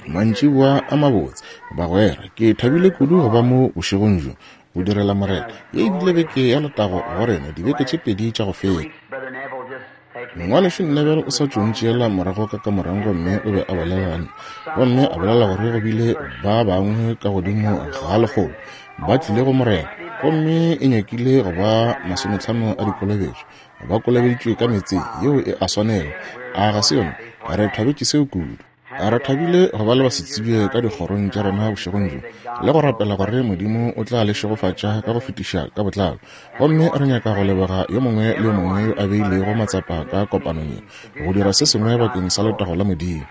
Mantšiboa a mabotse, bagwera. Ke thabile kudu go ba mo bošegong bjo, go direla Morena. Ye e bile beke ya letago go rena, dibeke tše pedi tša go feta. Ngwanešu Neville o sa tšo ntšeela morago ka kamoreng gomme o be a bolela le nna, gomme a bolela gore go bile ba bangwe ka godimo ga lekgolo ba tlile go Morena, gomme e nyakile go ba masometlhano a dikolobetšo ba kolobeditšwe ka meetseng. Yeo e a swanela, a ga se yona? Re thabetše seo kudu. Re thabile go ba le basetsebje ka dikgorong tša rena bošegong bjo, le go rapela gore Modimo o tla le šegofatša ka go fetiša ka botlalo. Gomme re nyaka go leboga yo mongwe le yo mongwe yo a beilego matsapa ka kopanong ye, go dira se sengwe bakeng sa letago la Modimo.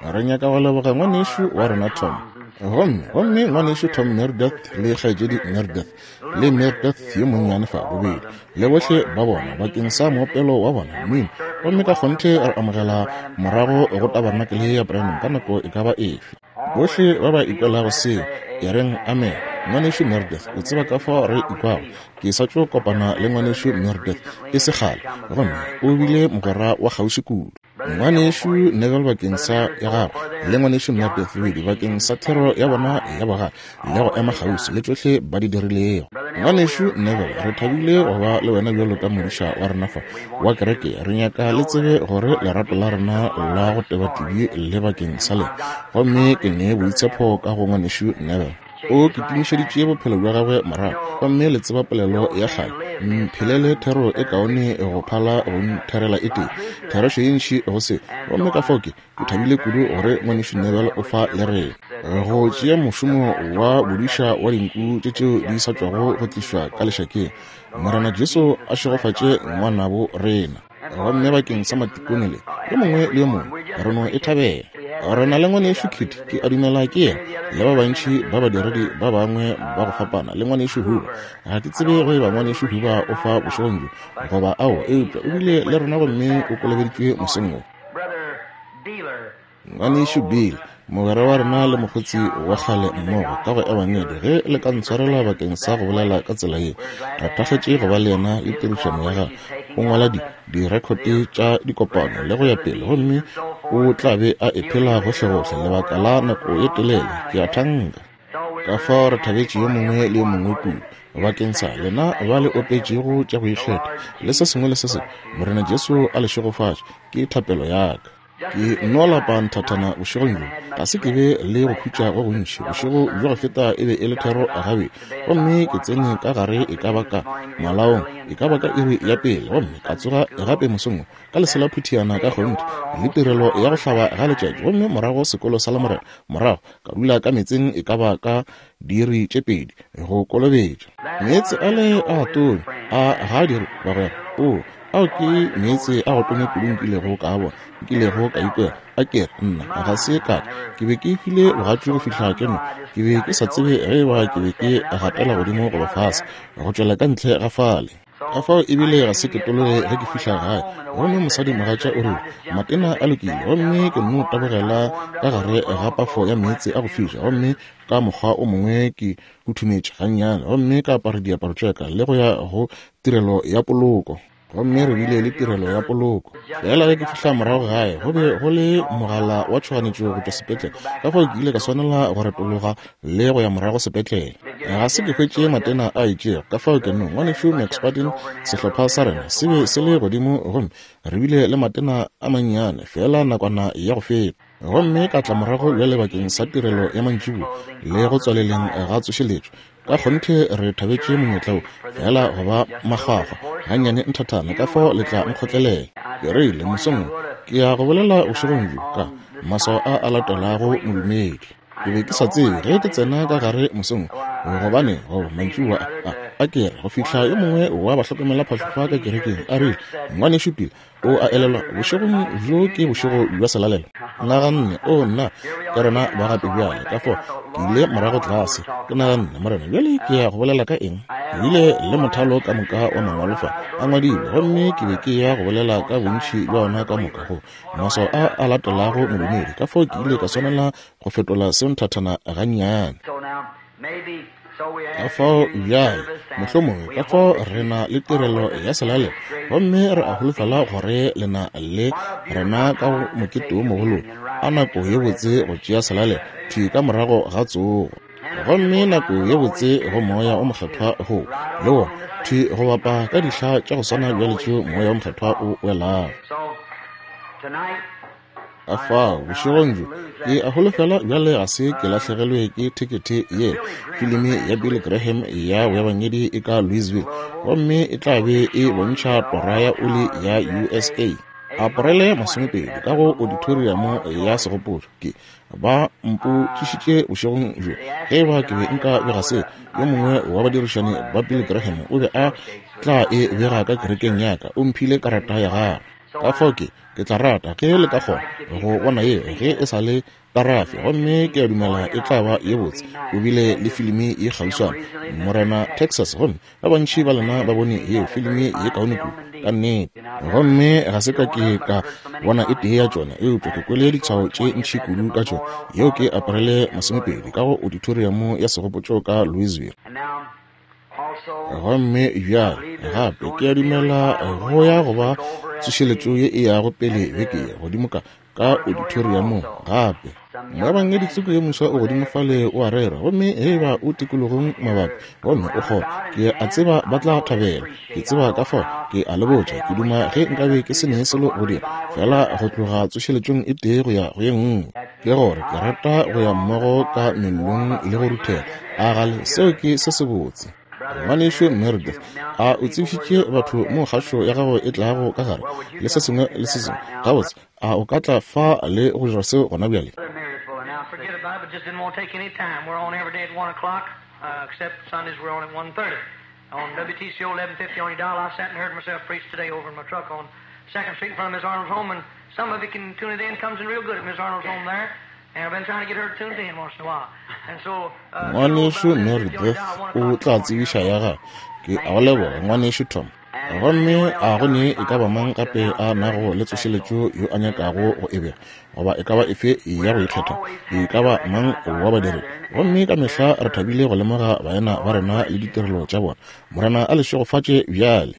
Re nyaka go leboga ngwanešu wa rena Tom, gomme, gomme ngwanešu Tom Meredith le kgaetšedi Meredith, le Meredith yo monnyane fa, bobedi, le bohle ba bona, bakeng sa moopelo wa bona, mmino. Gomme ka kgonthe re amogela morago go tabarnakele ya Branham ka nako e ka ba efe. Bohle ba ba ikwelago seo, e reng amen. Ngwanešu Meredith, o tseba ka fao re ikwago. Ke sa tšo kopana le Ngwanešu Meredith e se kgale, gomme o bile mogwera wa kgauswi kudu. Ngwanešu Neville bakeng sa ya gagwe, le Ngwanešu Meredith Reed bakeng sa thero ya bona ya bogale le go ema kgauswi le tšohle ba di dirilego. Ngwanešu Neville, re thabile go ba le wena bjalo ka modiša wa rena fa wa kereke. Re nyaka le tsebe gore lerato la rena la go teba-tebi le bakeng sa lena, gomme ke ne boitshepo ka go Ngwanešu Neville. O kitimišeditše bophelo bja gagwe morago, gomme le tseba polelo ya kgale, Mphelele thero e kaone go phala go ntherela e tee. Therešo ye ntši go se. Gomme ka fao ke, ke thabile kudu gore Ngwanešu Neville o fa le rena, go tšea mošomo wa bodiša wa dinku tše tšeo di sa tšwago go tlišwa ka lešakeng. Morena Jesu a šegofatše ngwanabo rena. Gomme bakeng sa matikone le yo mongwe le yo mongwe, re no e thabela. Re na le Ngwanešu Kidd, ke a dumela ke yena, le ba bantši ba badiredi ba bangwe ba go fapana, le Ngwanešu Huber. Ga ke tsebe go eba Ngwanešu Huber o fa bošegong bjo, goba aowa, eupša o bile le rena gomme o kolobeditšwe mosong wo. Ngwanešu Bill, mogwera wa rena le mokgotsi wa kgale mmogo ka go Ebangedi, ge le ka ntshwarela bakeng sa go bolela ka tsela ye, re thakgetše go ba le yena le tirišano ya gagwe. O ngwala di, direkhote tša dikopano le go ya pele, gomme o tla be a e phela gohlegohle lebaka la nako ye telele, ke a thanka. Ka fao re thabetše yo mongwe le yo mongwe kudu bakeng sa lena ba le opetšego tša go ikgetha le se sengwe le se sengwe. Morena Jesu a le šegofatše, ke thapelo ya ka. Ke nno lapa nthathana bošegong bjo. Ga se ke be le go khutša go gontši. Bošego bjo go feta e be e le thero gabedi. Gomme ke tsene ka gare e ka ba ka malaong, e ka ba ka iri ya pele, gomme ka tsoga gape mosong wo, ka lesela phuthiana ka kgonthe, le tirelo ya go hlaba ga letšatši, gomme morago sekolo sa Lamorena, morago ka dula ka meetseng e ka ba ka diiri tše pedi, go kolobetša. Meetse ale a tonya, a ga a dire, bagwera? Oo, Ao ke meetse a go tonya kudu nkilego ka a bona, nkilego ka ikwela. A ke re, nna, ga se ka ka. Ke be ke hwile bogatšu go fihla ke nwa. Ke be ke sa tsebe ge eba ke be ke gatela godimo goba fase, go tšwela ka ntle ga fale. Ka fao ebile ga se ke tologe ge ke fihla gae. Gomme mosadimogatša o rile, Matena a lokile. Gomme ke nno tabogela ka gare ga pafo ya meetse a go fiša, gomme ka mokgwa o mongwe ke huthumetše gannyane, gomme ka apara diaparo tša ka le go ya go tirelo ya poloko. Gomme re bile le tirelo ya poloko. Fela ge ke fihla morago gae, go be go le mogala wa tšhoganetšo go tšwa sepetlele, ka fao ke ile ka swanela go retologa le go ya morago sepetlele. Ga se ke hwetše matena a itšego, ka fao ke no, Ngwanešu McSpaddin, sehlopha sa rena se be se le godimo gomme re bile le matena a mannyane feela nakwana ya go feta. Gomme ka tla morago bjale bakeng sa tirelo ya mantšiboa le go tswaleleng ga tsošeletšo. Ka kgonthe re thabetše monyetla wo, feela go ba makgwakgwa gannyane nthathana, ka fao le tla nkgotlelela. Ke rile, mosong wo, ke ya go bolela bošegong bjo ka, Maswao a a latelago modumedi. Ke be ke sa tsebe ge ke tsena ka gare mosong wo, gobane, goba mantšiboa a, a ke re, go fihla yo mongwe wa bahlokomelaphahlo fa ka kerekeng a rile, Ngwanešu Bill, O a elelwa, bošegong bjo ke bošego bja selalelo. Naganne, o nna, ke rena ba gape bjale. Ka fao, ke ile morago tlase. Ke naganne, Morena, bjale ke ya go bolela ka eng? Ke bile le mothalo ka moka wa mangwalo fa, a ngwadilwe, gomme ke be ke ya go bolela ka bontši bja ona ka moka go maswao a a latelago modumedi. Ka fao ke ile ka swanela go fetola seo nthathana gannyane. Ka fao bjale, mohlomongwe, ka fao re na le tirelo ya selalelo, gomme re a holofela gore le na le rena ka go mokete wo mogolo, a nako ye botse go tšea selalelo, thwi ka morago ga tsogo. Gomme nako ye botse go Moya o Mokgethwa go, le wona, thwi go bapa ka dihla tša go swana bjale tšeo Moya wo Mokgethwa o welago. Ka fao, bošegong bjo, ke a holofela bjale ga se ke lahlegelwe ke thekethe ye. Filimi ya Billy Graham ya boebangedi e ka Louisville, gomme e tla be e bontšha Tora ya Oli ya USA. Aporele 20 ka go auditoriamo ya segopotšo. Ke ba mpotšišitše bošegong bjo ge e ba ke be nka bega se. Yo mongwe wa badirišani ba Billy Graham o be a tla e bega ka kerekeng ya ka. O mphile karata ya gagwe. Ka fao ke, ke tla rata ge le ka kgona go bona yeo ge e sa le tarafe, gomme ke a dumela e tla ba ye botse. O bile le filimi ye kgauswana, Morena Texas, gomme ba bantši ba lena ba bone yeo filimi ye kaone kudu, ka nnete. Gomme ga se ka ke ka bona e tee ya tšona, eupša ke kwele ditshwao tše ntši kudu ka tšona. Yeo ke Aparele 20 ka go auditoriamo ya segopotšo ka Louisville. Gomme bjale, gape, ke a dumela go ya go ba tsošeletšo ye e yago pele beke ye, godimo ka, ka auditoriamong gape. Moebangedi tsoko yo moswa o godimo fale o a rera, gomme ge eba o tikologong mabapi, gomme o kgona, ke a tseba ba tla thabela. Ke tseba ka fao, ke a le botša, ke duma ge nkabe ke se ne selo go dira, feela go tloga tsošeletšong e tee go ya go ye nngwe. Ke gore ke rata go ya mmogo ka mellong le go ruthela. A gale seo ke se sebotse. Ngwanešu Meredith, a o tsebišitše batho mo kgašo ya gago e tlago ka gare le se sengwe le se sengwe? Gabotse, a o ka tla fa le go dira seo gona bjale? Forget about it, but just didn't want to take any time. We're on every day at 1 o'clock, except Sundays we're on at 1:30. On WTCO 1150 on your dial, I sat and heard myself preach today over in my truck on 2nd Street in front of Miss Arnold's home, and some of you can tune it in, comes in real good at Miss Arnold's home there. And I've been trying to get her tuned in once in a while. And so, Ngwanešu Meredith o tla tsebiša ya gagwe. Ke a go leboga, Ngwanešu Tom. Gomme a go ne e ka ba mang gape a nago le tsošeletšo yo a nyakago go e bega, goba e ka ba efe ya go ikgetha, e ka ba mang wa badiri? Gomme ka mehla re thabile go lemoga baena ba rena le ditirelo tša bona. Morena a le šegofatše bjale.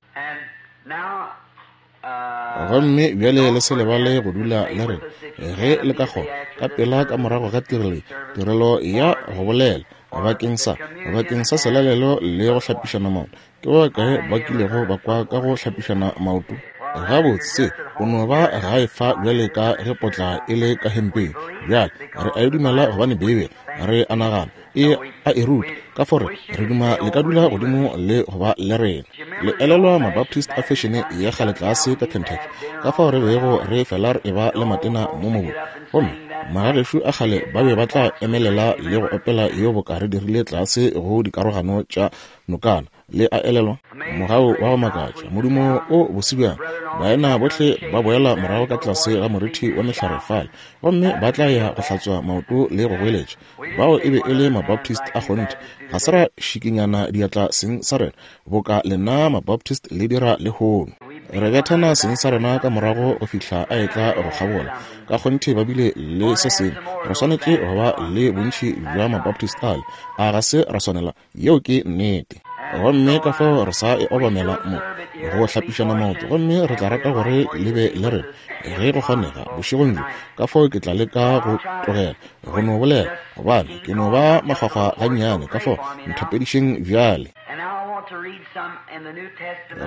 Gomme bjale le se lebale go dula le rena, ge le ka kgona, ka pela ka morago ga tirelo ye, tirelo ya go bolela, bakeng sa, bakeng sa selalelo le go hlapišana maoto. Ke ba bakae ba kilego ba kwa ka go hlapišana maoto? Gabotse, se, o no ba gae fa bjale ka ge potla e le ka hempeng. Bjale, re a e dumela gobane Beibele, re a nagana, e a e ruta, ka fao re, re duma le ka dula godimo le go ba le rena. Le elelwa Mabaptist a fešene ya kgale tlase ka Kentucky, ka fao re bego re fela re eba le matena mo mobung, gomme magagešo a kgale ba be ba tla emelela le go opela yeo boka re dirile tlase go dikarogano tša nokana. Le a elelwa? Mogau wa go makatša, modumo o bose bjang! Baena bohle ba boela morago ka tlase ga morithi wa mehlare fale, gomme ba tla ya go hlatswa maoto le go goeletša. Bao e be e le Mabaptist a kgonthe. Ga se ra šikinyana diatla seng sa rena, boka lena Mabaptist le dira lehono. Re bethana seng sa rena ka morago go fihla a etla go kgabola. Ka kgonthe ba bile le se sengwe. Re swanetše go ba le bontši bja Mabaptist ale. A ga se ra swanela? Yeo ke nnete. Gomme ka fao re sa e obamela mo go hlapišana maoto, gomme re tla rata gore le be le rena ge go kgonega bošegong bjo. Ka fao ke tla leka go tlogela go no bolela, gobane ke no ba makgwakgwa gannyane. Ka fao nthapedišeng bjale.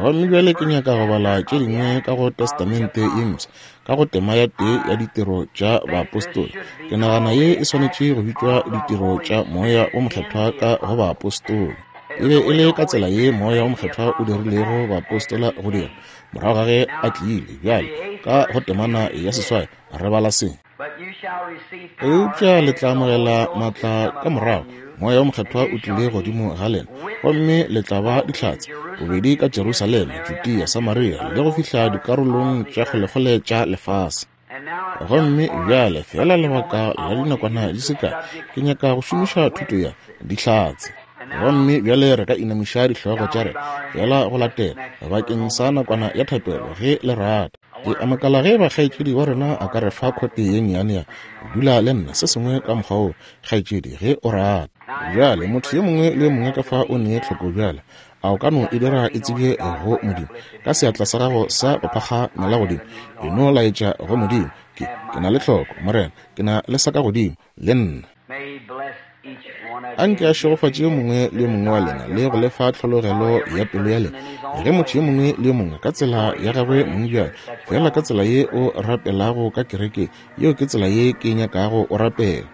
Gomme bjale ke nyaka go bala tše dingwe ka go Testamente ye Mpsha, ka go tema ya tee ya Ditiro tša Baapostola. Ke nagana ye e swanetše go bitšwa Ditiro tša Moya wo Mokgethwa ka go Baapostola. E be e le ka tsela ye Moya wo Mokgethwa o dirilego baapostola go dira, morago ga ge a tlile. Bjale, ka go temana ya seswai, re bala se. Eupša le tla amogela maatla ka morago Moya wo Mokgethwa o tlile godimo ga lena, gomme le tla ba dihlatse, bobedi ka Jerusalema, Judea, Samaria, le go fihla dikarolong tša kgolekgole tša lefase. Gomme bjale, feela lebaka la dinakwana di se kae, ke nyaka go šomiša thuto ya Dihlatse. Gomme bjale re ka inamiša dihlogo tša rena feela go latela, bakeng sa nakwana ya thapelo, ge le rata. Ke a makala ge eba kgaetšedi wa rena a ka re fa khote ye nnyane ya Dula le nna, se sengwe ka mokgwa woo, kgaetšedi, ge o rata. Bjale, motho yo mongwe le yo mongwe ka fa o ne tlhoko bjale. A o ka no e dira e tsebje go Modimo ka seatla sa gago sa go phakgamela godimo? E no laetša go Modimo, Ke, ke na le tlhoko, Morena. Ke na le sa ka godimo, le nna. Anke a šegofatše yo mongwe le yo mongwe wa lena le go le fa tlhologelo ya pelo ya lena. Ge motho yo mongwe le yo mongwe ka tsela ya gagwe mong bjale, feela ka tsela ye o rapelago ka kerekeng, yeo ke tsela ye ke nyakago o rapela.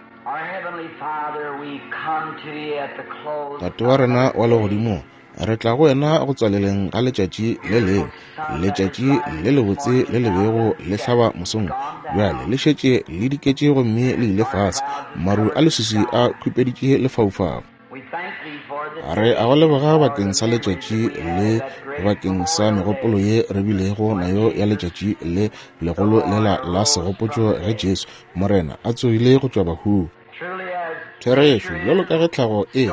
Tate wa rena wa Legodimong, re tla go wena go tswaleleng ga letšatši le lengwe, letšatši le lebotse le le bego le hlaba mosong. Bjale le šetše le diketše gomme le ile fase, maru a leswiswi a khupeditše lefaufau. Re a go leboga bakeng sa letšatši le bakeng sa megopolo ye re bilego nayo ya letšatši le legolo lela la segopotšo ge Jesu Morena a tsogile go tšwa bahung. Therešo, bjalo ka ge tlhago e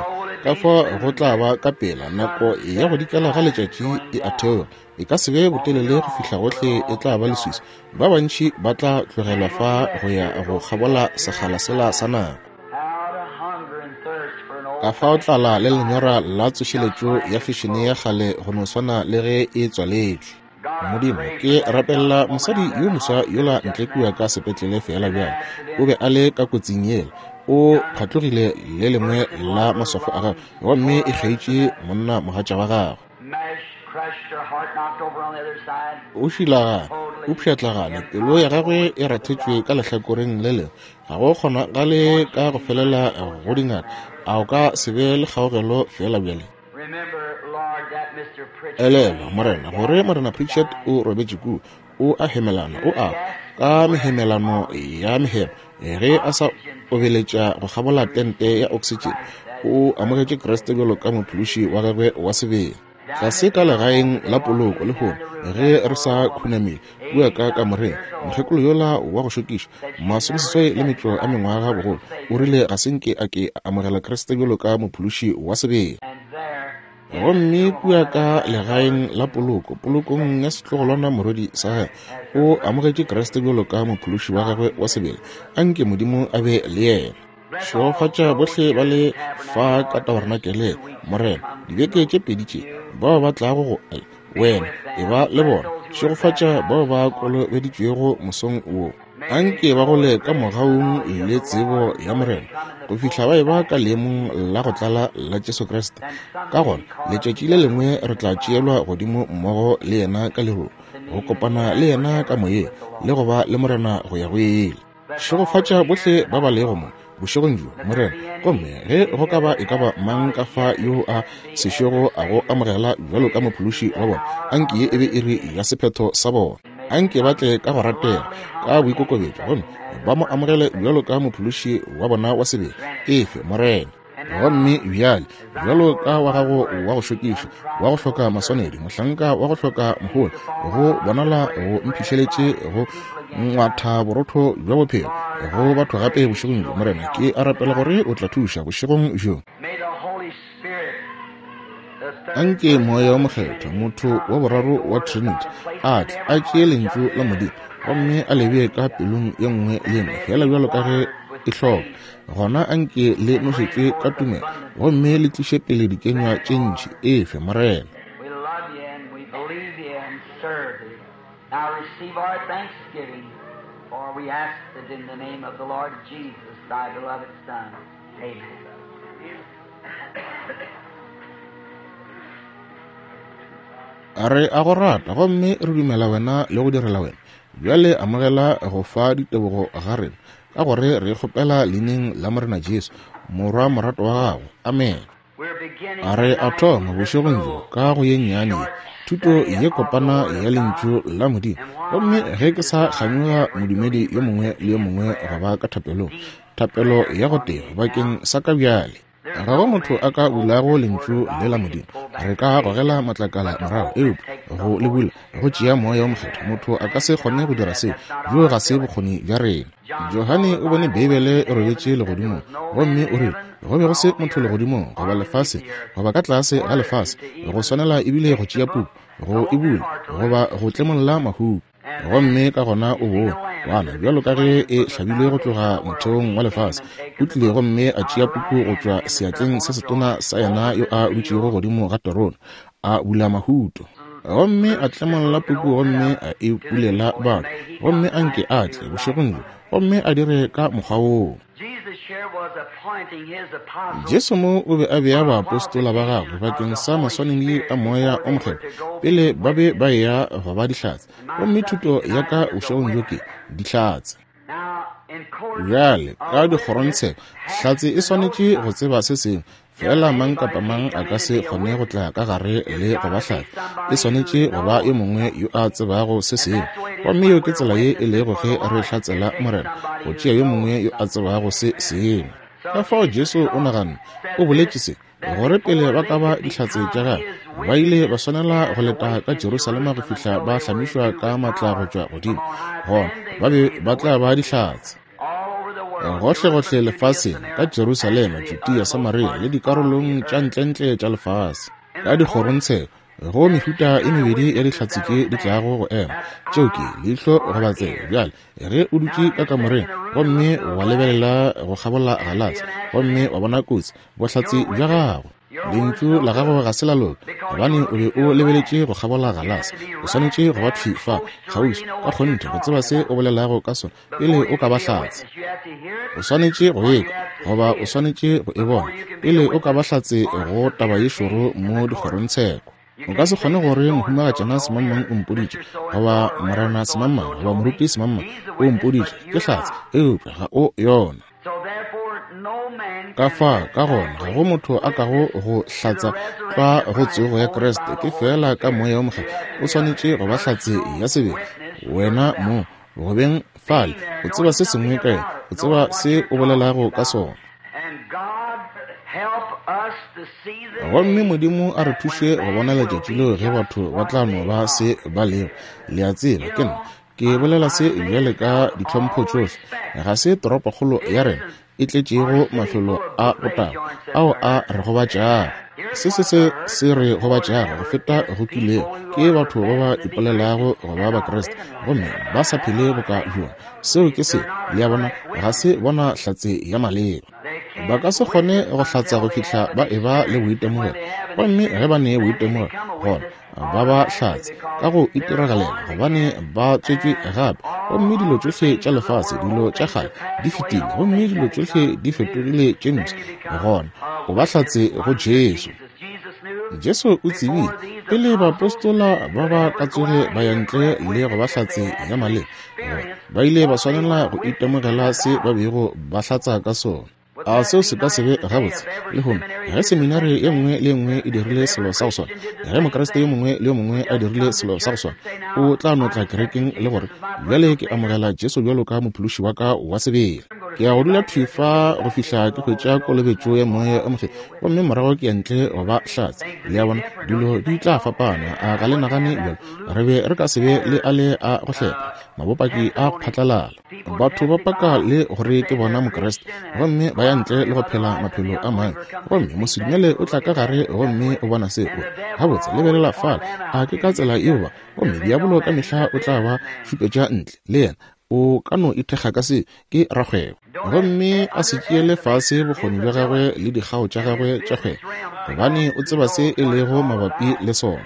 ka fa go tla ba ka pela nako ya go dikela ga letšatši e a theoga, e ka se be botelele go fihla gohle e tla ba leswiswi. Ba bantši ba tla tlogelwa fa go ya go kgabola sekgala sela sa nako. Ka fao tlala le lenyora la tsošeletšo ya fešene ya kgale go no swana le ge e tswaletšwe. Modimo, ke rapelela mosadi yo moswa yola ntle kua ka sepetlele feela bjale. O be a le ka kotsing yela. O phatlogile le lengwe la maswafo a gagwe, gomme e kgeitše monna mogatša wa gagwe. O šilagane, o pšhatlagane, pelo ya gagwe e rathetšwe ka lehlakoreng le lengwe. Ga go kgonagale ka go felela go dingaka. A o ka se be le kgaogelo feela bjale? Elelwa, Morena, gore Morena Pritchard o robetše kua, o a hemelana, o a ka mehemelano ya mehemo, ge a sa obeletša go kgabola tente ya oksitšene, o amogetše Kriste bjalo ka Mophološi wa gagwe wa sebele. Tlase ka legaeng la poloko lehono, ge re sa khunamile kua ka kamoreng, mokgekolo yola wa go šokiša, masomeseswai le metšo a mengwaga bogolo, o rile ga se nke a ke a amogela Kriste bjalo ka Mophološi wa sebele. Gomme kua ka legaeng la poloko, polokong ya setlogolwana morwedi sa gagwe, o amogetše Kriste bjalo ka Mophološi wa gagwe wa sebele. A nke Modimo a be le yena. Šegofatša bohle ba le fa ka tabernakeleng, Morena, dibeke tše pedi tše, bao ba tlago go Wena, e ba le bona. Šegofatša bao ba kolobeditšwego mosong wo. Anke ba gole ka mogaung le tsebo ya Morena, go fihla ba eba ka leemong la go tlala la Jesu Kriste. Ka gona, letšatši le lengwe re tla tšeelwa godimo mmogo le Yena ka lerung, go kopana le Yena ka moyeng, le go ba le Morena go ya go ile. Šegofatša bohle ba ba lego mo bošegong bjo, Morena. Gomme ge go ka ba e ka ba mang ka fa yo a sešogo a go amogela bjalo ka Mophološi wa bona, anke ye e be iri ya sephetho sa bona. Anke ba tle ka go ratega, ka boikokobetšo, gomme ba mo amogele bjalo ka Mophološi wa bona wa sebele. Efe, Morena. Gomme bjale, bjalo ka wa gago wa go šokiša, wa go hloka maswanedi, mohlanka wa go hloka mohola, go bonala go mphišeletše go ngwatha borotho bja bophelo go batho gape bošegong bjo, Morena, ke a rapela gore o tla thuša bošegong bjo. Anke Moya wo Mokgethwa, motho wa boraro wa Trinity, a tle a tšee Lentšu la Modimo gomme a le bee ka pelong ye nngwe le ye nngwe, feela bjalo ka ge e hloka. Gona anke le nošetšwe ka tumelo gomme le tliše pele dikenywa tše ntši. Efe, Morena. We love you and we believe you and serve thee. Now receive our thanksgiving, for we ask it in the name of the Lord Jesus, thy beloved Son. Amen. Re a go rata gomme re dumela wena le go direla wena. Bjale amogela go fa ditebogo ga rena, ka gore re kgopela leineng la Morena Jesu, Morwa morato wa gago. Amen. A re a thoma bošegong bjo ka go ye nnyane ye, thuto ye kopana ya Lentšu la Modimo. Gomme ge ke sa kganyoga modumedi yo mongwe le yo mongwe go ba ka thapelong, thapelo ya go teba bakeng sa ka bjale. Ga go motho a ka bulago Lentšu le la Modimo. Re ka gogela matlakala morago, eupša go le bula go tšea Moya wo Mokgethwa. Motho a ka se kgone go dira seo. Bjoo ga se bokgoni bja rena. Johane o bone Beibele e robetše legodimong, gomme o rile go be go se motho legodimong goba lefaseng goba ka tlase ga lefase go swanela ebile go tšea puku go e bula goba go tlemolla mahuku. Gomme ka gona o bone Kwana, bjalo ka ge e hlabilwe go tloga motheong wa lefase, o tlile gomme a tšea puku go tšwa seatleng se setona sa yena yo a dutšego godimo ga terone, a bula mahuto. Gomme a tlemolla puku gomme a e bulela batho, gomme a nke a tle bošegong bjo gomme a dire ka mokgwa woo. Jesu mo o be a bea baapostola ba gagwe bakeng sa maswanedi a Moya o Mokgethwa pele ba be ba eya go ba dihlatse. Gomme thuto ya ka bošegong bjo ke, Dihlatse. Bjale, ka dikgorongtsheko, hlatse e swanetše go tseba se sengwe. Fela mang kapa mang a ka se kgone go tla ka gare le go ba hlatse. E swanetše go ba yo mongwe yo a tsebago se sengwe. Gomme yeo ke tsela ye e lego ge re hlatsela Morena, go tšea yo mongwe yo a tsebago se sengwe. Ka fao Jesu o naganne, o boletše se, gore pele ba ka ba dihlatse tša gagwe, ba ile ba swanela go leta ka Jerusalema go fihla ba hlamišwa ka matla go tšwa godimo, gona ba be ba tla ba dihlatse. Gohlegohle lefaseng, ka Jerusalema, Judea, Samaria le dikarolong tša ntlentle tša lefase. Ka dikgorongtsheko, go mehuta e mebedi ya dihlatse tše di tlago go ema. Tšeo ke leihlo goba tsebe. Bjale, ge o dutše ka kamoreng gomme wa lebelela go kgabola galase gomme wa bona kotsi, bohlatse bja gago, lentšu la gago ga se la loka, gobane o be o lebeletše go kgabola galase. O swanetše go ba thwi fa kgauswi ka kgonthe go tseba se o bolelago ka sona pele o ka ba hlatse. O swanetše go ekwa goba o swanetše go e bona pele o ka ba hlatse go taba ye šoro mo dikgorongtsheko. O ka se kgone gore mohumagatšana semangmang o mpoditše, goba morena semangmang, goba moruti semangmang o mpoditše, ke hlatse, eupša ga o yona. Ka fa, ka gona, ga go motho a kago go hlatsa tlwa go tsogo ya Kriste, ke feela ka Moya wo Mokgethwa. O swanetše go ba hlatse ya sebele, wena mo go beng fale, o tseba se sengwe ka yena, o tseba se o bolelago ka sona. Gomme Modimo a re thuše go bona letšatši leo ge batho ba tla no ba se ba lego. Le a tseba, ke nna ke bolela se bjale ka ditlhompho tšohle. Ga se toropokgolo ya rena e tletšego mafelo a botagwa ao a re gobatšago. Se se se se re gobatšago go feta go kilego ke batho ba ba ipolelago go ba Bakriste gomme ba sa phele boka bjona. Seo ke se, le a bona, ga se bona hlatse ya maleba. Ba ka se kgone go hlatsa go fihla ba eba le boitemogelo, gomme ge ba ne boitemogelo, gona ba ba hlatse ka go itiragalela, gobane ba tswetšwe gape, gomme dilo tšohle tša lefase, dilo tša kgale di fetile, gomme dilo tšohle di fetogile tše mpsha, gona o ba hlatse go Jesu. Jesu o tsebile pele baapostola ba ba ka tsoge ba ya ntle le go ba hlatse ya maleba, gore ba ile ba swanela go itemogela se ba bego ba hlatsa ka sona. A seo se ka se be gabotse lehono ge seminari ye nngwe le ye nngwe e dirile selo sa go swana, ge Mokriste yo mongwe le yo mongwe a dirile selo sa go swana, o tla no tla kerekeng le gore, Bjale ke amogela Jesu bjalo ka Mophološi wa ka wa sebele. Ke ya go dula thwi fa go fihla ke hwetša kolobetšo ya Moya o Mokgethwa, gomme morago ke ya ntle go ba hlatse. Le a bona, dilo di tla fapana. A ga le nagane bjalo? Re be re ka se be le ale a go hlepha, mabopaki a go phatlalala. Batho ba paka le gore ke bona Mokriste, gomme ba ya ntle le go phela maphelo a mangwe. Gomme mosedumele o tla ka gare gomme o bona se, o re, Gabotse, lebelela fale, a ke ka tsela yeo ba? Gomme diabolo ka mehla o tla ba šupetša ntle, le yena. O ka no ithekga ka se, ke rakgwebo. Gomme a se tšeele fase bokgoni bja gagwe le dikgao tša gagwe tša kgwebo, gobane o tseba se e lego mabapi le sona.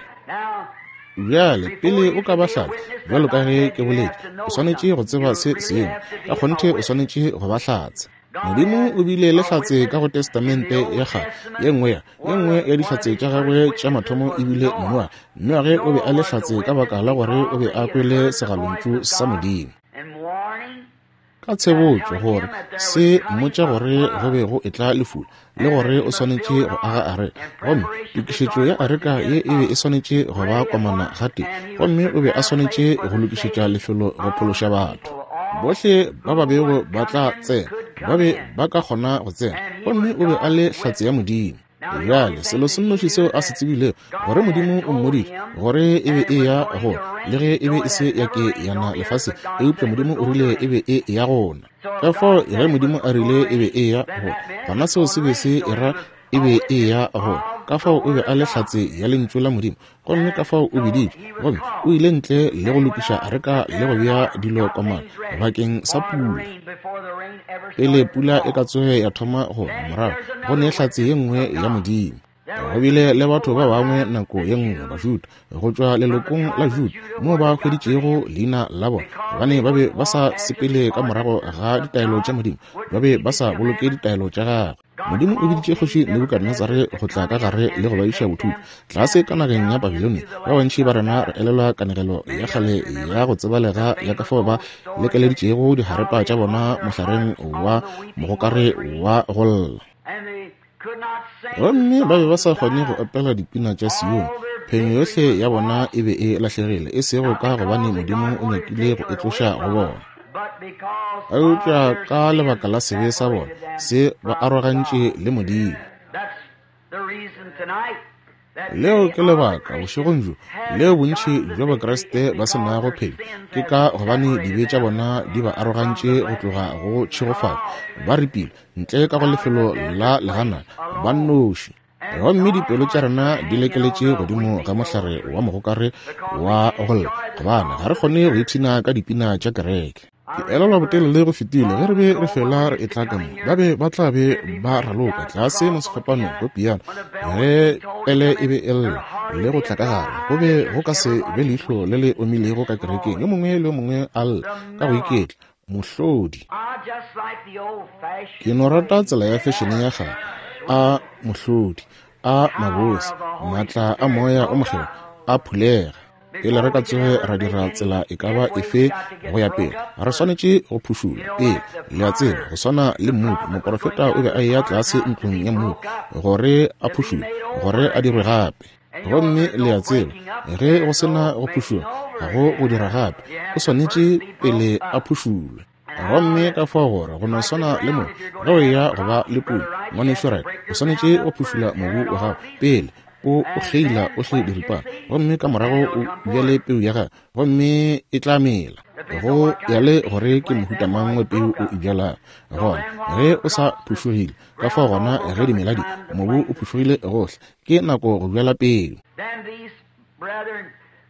Bjale, pele o ka ba hlatse, bjalo ka ge ke boletše, o swanetše go tseba se sengwe. Ka kgonthe o swanetše go ba hlatse. Modimo o bile le hlatse ka go Testamente ya Kgale. Ye nngwe ya, ye nngwe ya dihlatse tša gagwe tša mathomo e bile Noage. Noage o be a le hlatse ka baka la gore o be a kwele segalontšu sa Modimo. Ka tshebotšo gore se mmotša gore go be go etla lefula le gore o swanetše go aga areka. Gomme tokišetšo ya areka ye e be e swanetše go ba komana gatee, gomme o be a swanetše go lokišetša lefelo go phološa batho. Bohle ba ba bego ba tla tsena ba be ba ka kgona go tsena, gomme o be a le hlatse ya Modimo. Bjale, selo se nnoši seo a se tsebilego, gore Modimo o mmoditše gore e be e ya go, le ge e be e se ya ke ya na lefaseng, eupša Modimo o rile e be e ya gona. Ka fao ge Modimo a rile e be e ya go, gona seo se be se era e be e ya go. Ka fao o be a le hlatse ya Lentšu la Modimo, gomme ka fao o biditšwe, gomme o ile ntle le go lokiša areka le go bea dilo komana bakeng sa pula. Pele pula e ka tsoge ya thoma go na, morago go ne hlatse ye nngwe ya Modimo. Go bile le batho ba bangwe nako ye nngwe, Bajuda, go tšwa lelokong la Juda, moo ba hweditšego leina la bona, gobane ba be ba sa sepele ka morago ga ditaelo tša Modimo, ba be ba sa boloke ditaelo tša gagwe. Modimo o biditše kgoši Nebukadnezare go tla ka gare le go ba iša bothutwa tlase ka nageng ya Babilonia. Ba bantši ba rena re elelwa kanegelo ya kgale ya go tsebalega ya ka fao ba lekeleditšego diharepa tša bona mohlareng wa mogokare wa go lla. Gomme ba be ba sa kgone go opela dipina tša Sione. Phenyo yohle ya bona e be e lahlegile, e sego ka gobane Modimo o nyakile go e tloša go bona, eupša ka lebaka la sebe sa bona se ba arogantše le Modimo. Leo ke lebaka bošegong bjo leo bontši bja Bakriste ba se nago phenyo, ke ka gobane dibe tša bona di ba arogantše go tloga go tšhegofatšo. Ba ripilwe ntle ka go lefelo la leganana ba nnoši, gomme dipelo tša rena di lekeletše godimo ga mohlare wa mogokare wa go lla, gobane ga re kgone go ipshina ka dipina tša kereke. Ke elelwa botelele go fetile ge re be re fela re etla ka mo, ba be ba tla be ba raloka tlase mo sefapanong go piano ge pele e be e lla le go tla ka gare. Go be go ka se be leihlo le le omilego ka kerekeng, yo mongwe le yo mongwe a lla ka go iketla. Mohlodi. Ke no rata tsela ya fešene ya kgale, a mohlodi, a mabose, maatla a Moya o Mokgethwa a phulega. Pele re ka tsoge ra dira tsela e ka ba efe go ya pele, re swanetše go phušulwa pele. Le a tseba, go swana le mmopi, moprofeta o be a eya tlase ntlong ya mmopi gore a phušulwe, gore a dirwe gape. Gomme le a tseba, ge go se na go phušulwa, ga go go dira gape. O swanetše pele a phušulwe. Gomme ka fao gore go no swana le mobu, ge o eya go ba le puno, Ngwanešu Wright, o swanetše go phušula mobu wa gago pele o o kgeila ohle diripana, gomme ka morago o bjale peu ya gago, gomme e tla mela. Go ya le gore ke mohuta mang wa peu o e bjalago. Gona ge o sa phušogile, ka fao gona ge dimela di, mobu o phušogile gohle, ke nako go bjala peu.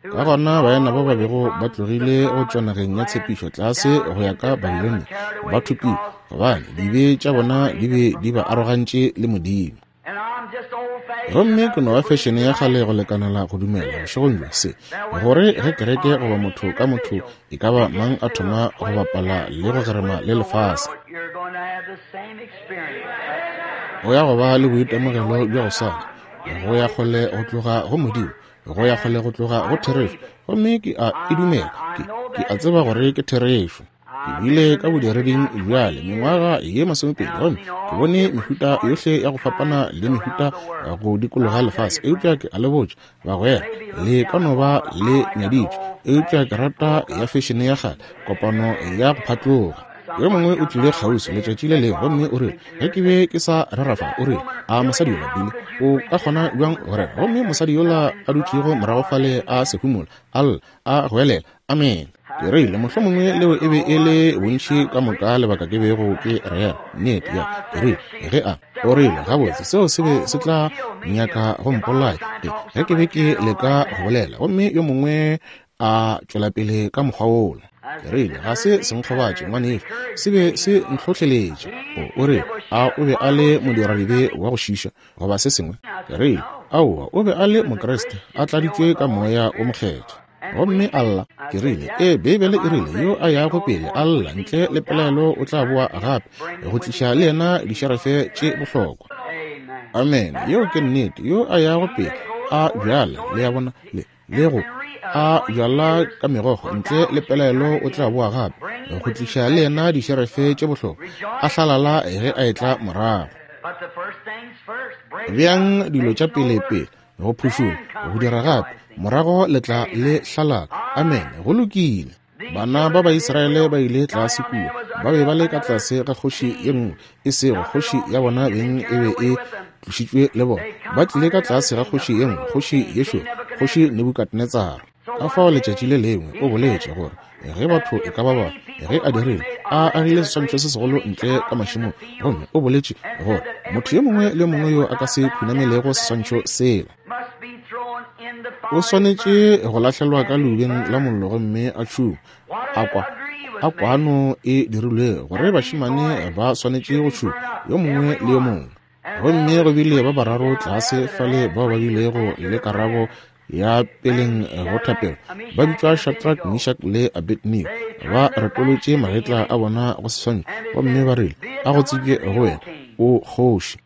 Ka gona baena ba ba bego ba tlogile go tšwa nageng ya tshepišo tlase go ya ka Babilonia ba thopilwe, gobane dibe tša bona di be di ba arogantše le Modimo. Gomme ke no ba fešene ya kgale go lekanela go dumela bošegong bjo se, gore ge kereke goba motho ka motho e ka ba mang a thoma go bapala le go gerema le lefase, o ya go ba le boitemogelo bja go swana, go ya kgole go tloga go Modimo, go ya kgole go tloga go therešo. Gomme ke a e dumela, ke, ke a tseba gore ke therešo. Ke bile ka bodireding bjale mengwaga ye masomepedi, gomme ke bone mehuta yohle ya go fapana le mehuta go dikologa lefase. Eupša ke a le botša, bagwera, le ka no ba le nyaditšwe, eupša ke rata ya fešene ya kgale, kopano ya go phatloga. Yo mongwe o tlile kgauswi letšatši le lengwe gomme o rile, ge ke be ke sa rera fa, o rile, a mosadi yola, Billy, o ka kgona bjang go rera? Gomme mosadi yola a dutšego morago fale a sehumola, a lla, a goelela, Amene. Ke rile, mohlomongwe leo e be e le bontši ka moka lebaka ke bego ke rera. Nnete, ya. Ke rile, ge a, o rile, gabotse, seo se be se tla nyaka go mpolaya ge, ge ke be ke leka go bolela, gomme yo mongwe a tšwela pele ka mokgwa wola. Ke rile, ga se se nkgobatše, ngwanešu, se be se ntlhohleletše. O, o rile, a o be a le modiradibe wa go šiša, goba se sengwe? Ke rile, aowa, o be a le Mokriste, a tladitšwe ka Moya wo Mokgethwa. Gomme a lla. Ke rile, Ee, Beibele e rile, yo a yago pele a lla ntle le pelaelo o tla boa gape go tliša le yena dišerefe tše bohlokwa. Amene. Yeo ke nnete. Yo a yago pele a bjala, le a bona, le, le go a bjala ka megokgo ntle le pelaelo o tla boa gape go tliša le yena dišerefe tše bohlokwa, a hlalala ge a etla morago. Beang dilo tša pele pele, go phušola, go dira gape, morago le tla le hlalala. Amene. Go lokile. Bana ba Baisraele ba ile tlase kua, ba be ba le ka tlase ga kgoši ye nngwe, e sego kgoši ya bona beng e be e tlošitšwe le bona. Ba tlile ka tlase ga kgoši ye nngwe, kgoši ye šoro, kgoši Nebukadnetsara. Ka fao letšatši le lengwe o boletše gore ge batho e ka ba ba, ge a dirile, A agile seswantšho se segolo ntle ka mašemong, gomme o boletše gore motho yo mongwe le yo mongwe yo a ka se khunamelego seswantšho sela o swanetše go lahlelwa ka leubeng la mollo gomme a tšhungwe. A kwa a kwano e dirilwe gore bašemane ba swanetše go tšhungwa yo mongwe le yo mongwe. Gomme go bile ba bararo tlase fale bao ba bilego le karabo ya peleng go thapelo, ba bitšwa Shadrach, Meshach le Abednego. Ba retolotše magetla a bona go seswantšho gomme ba rile, A go tsebje go wena, o kgoši.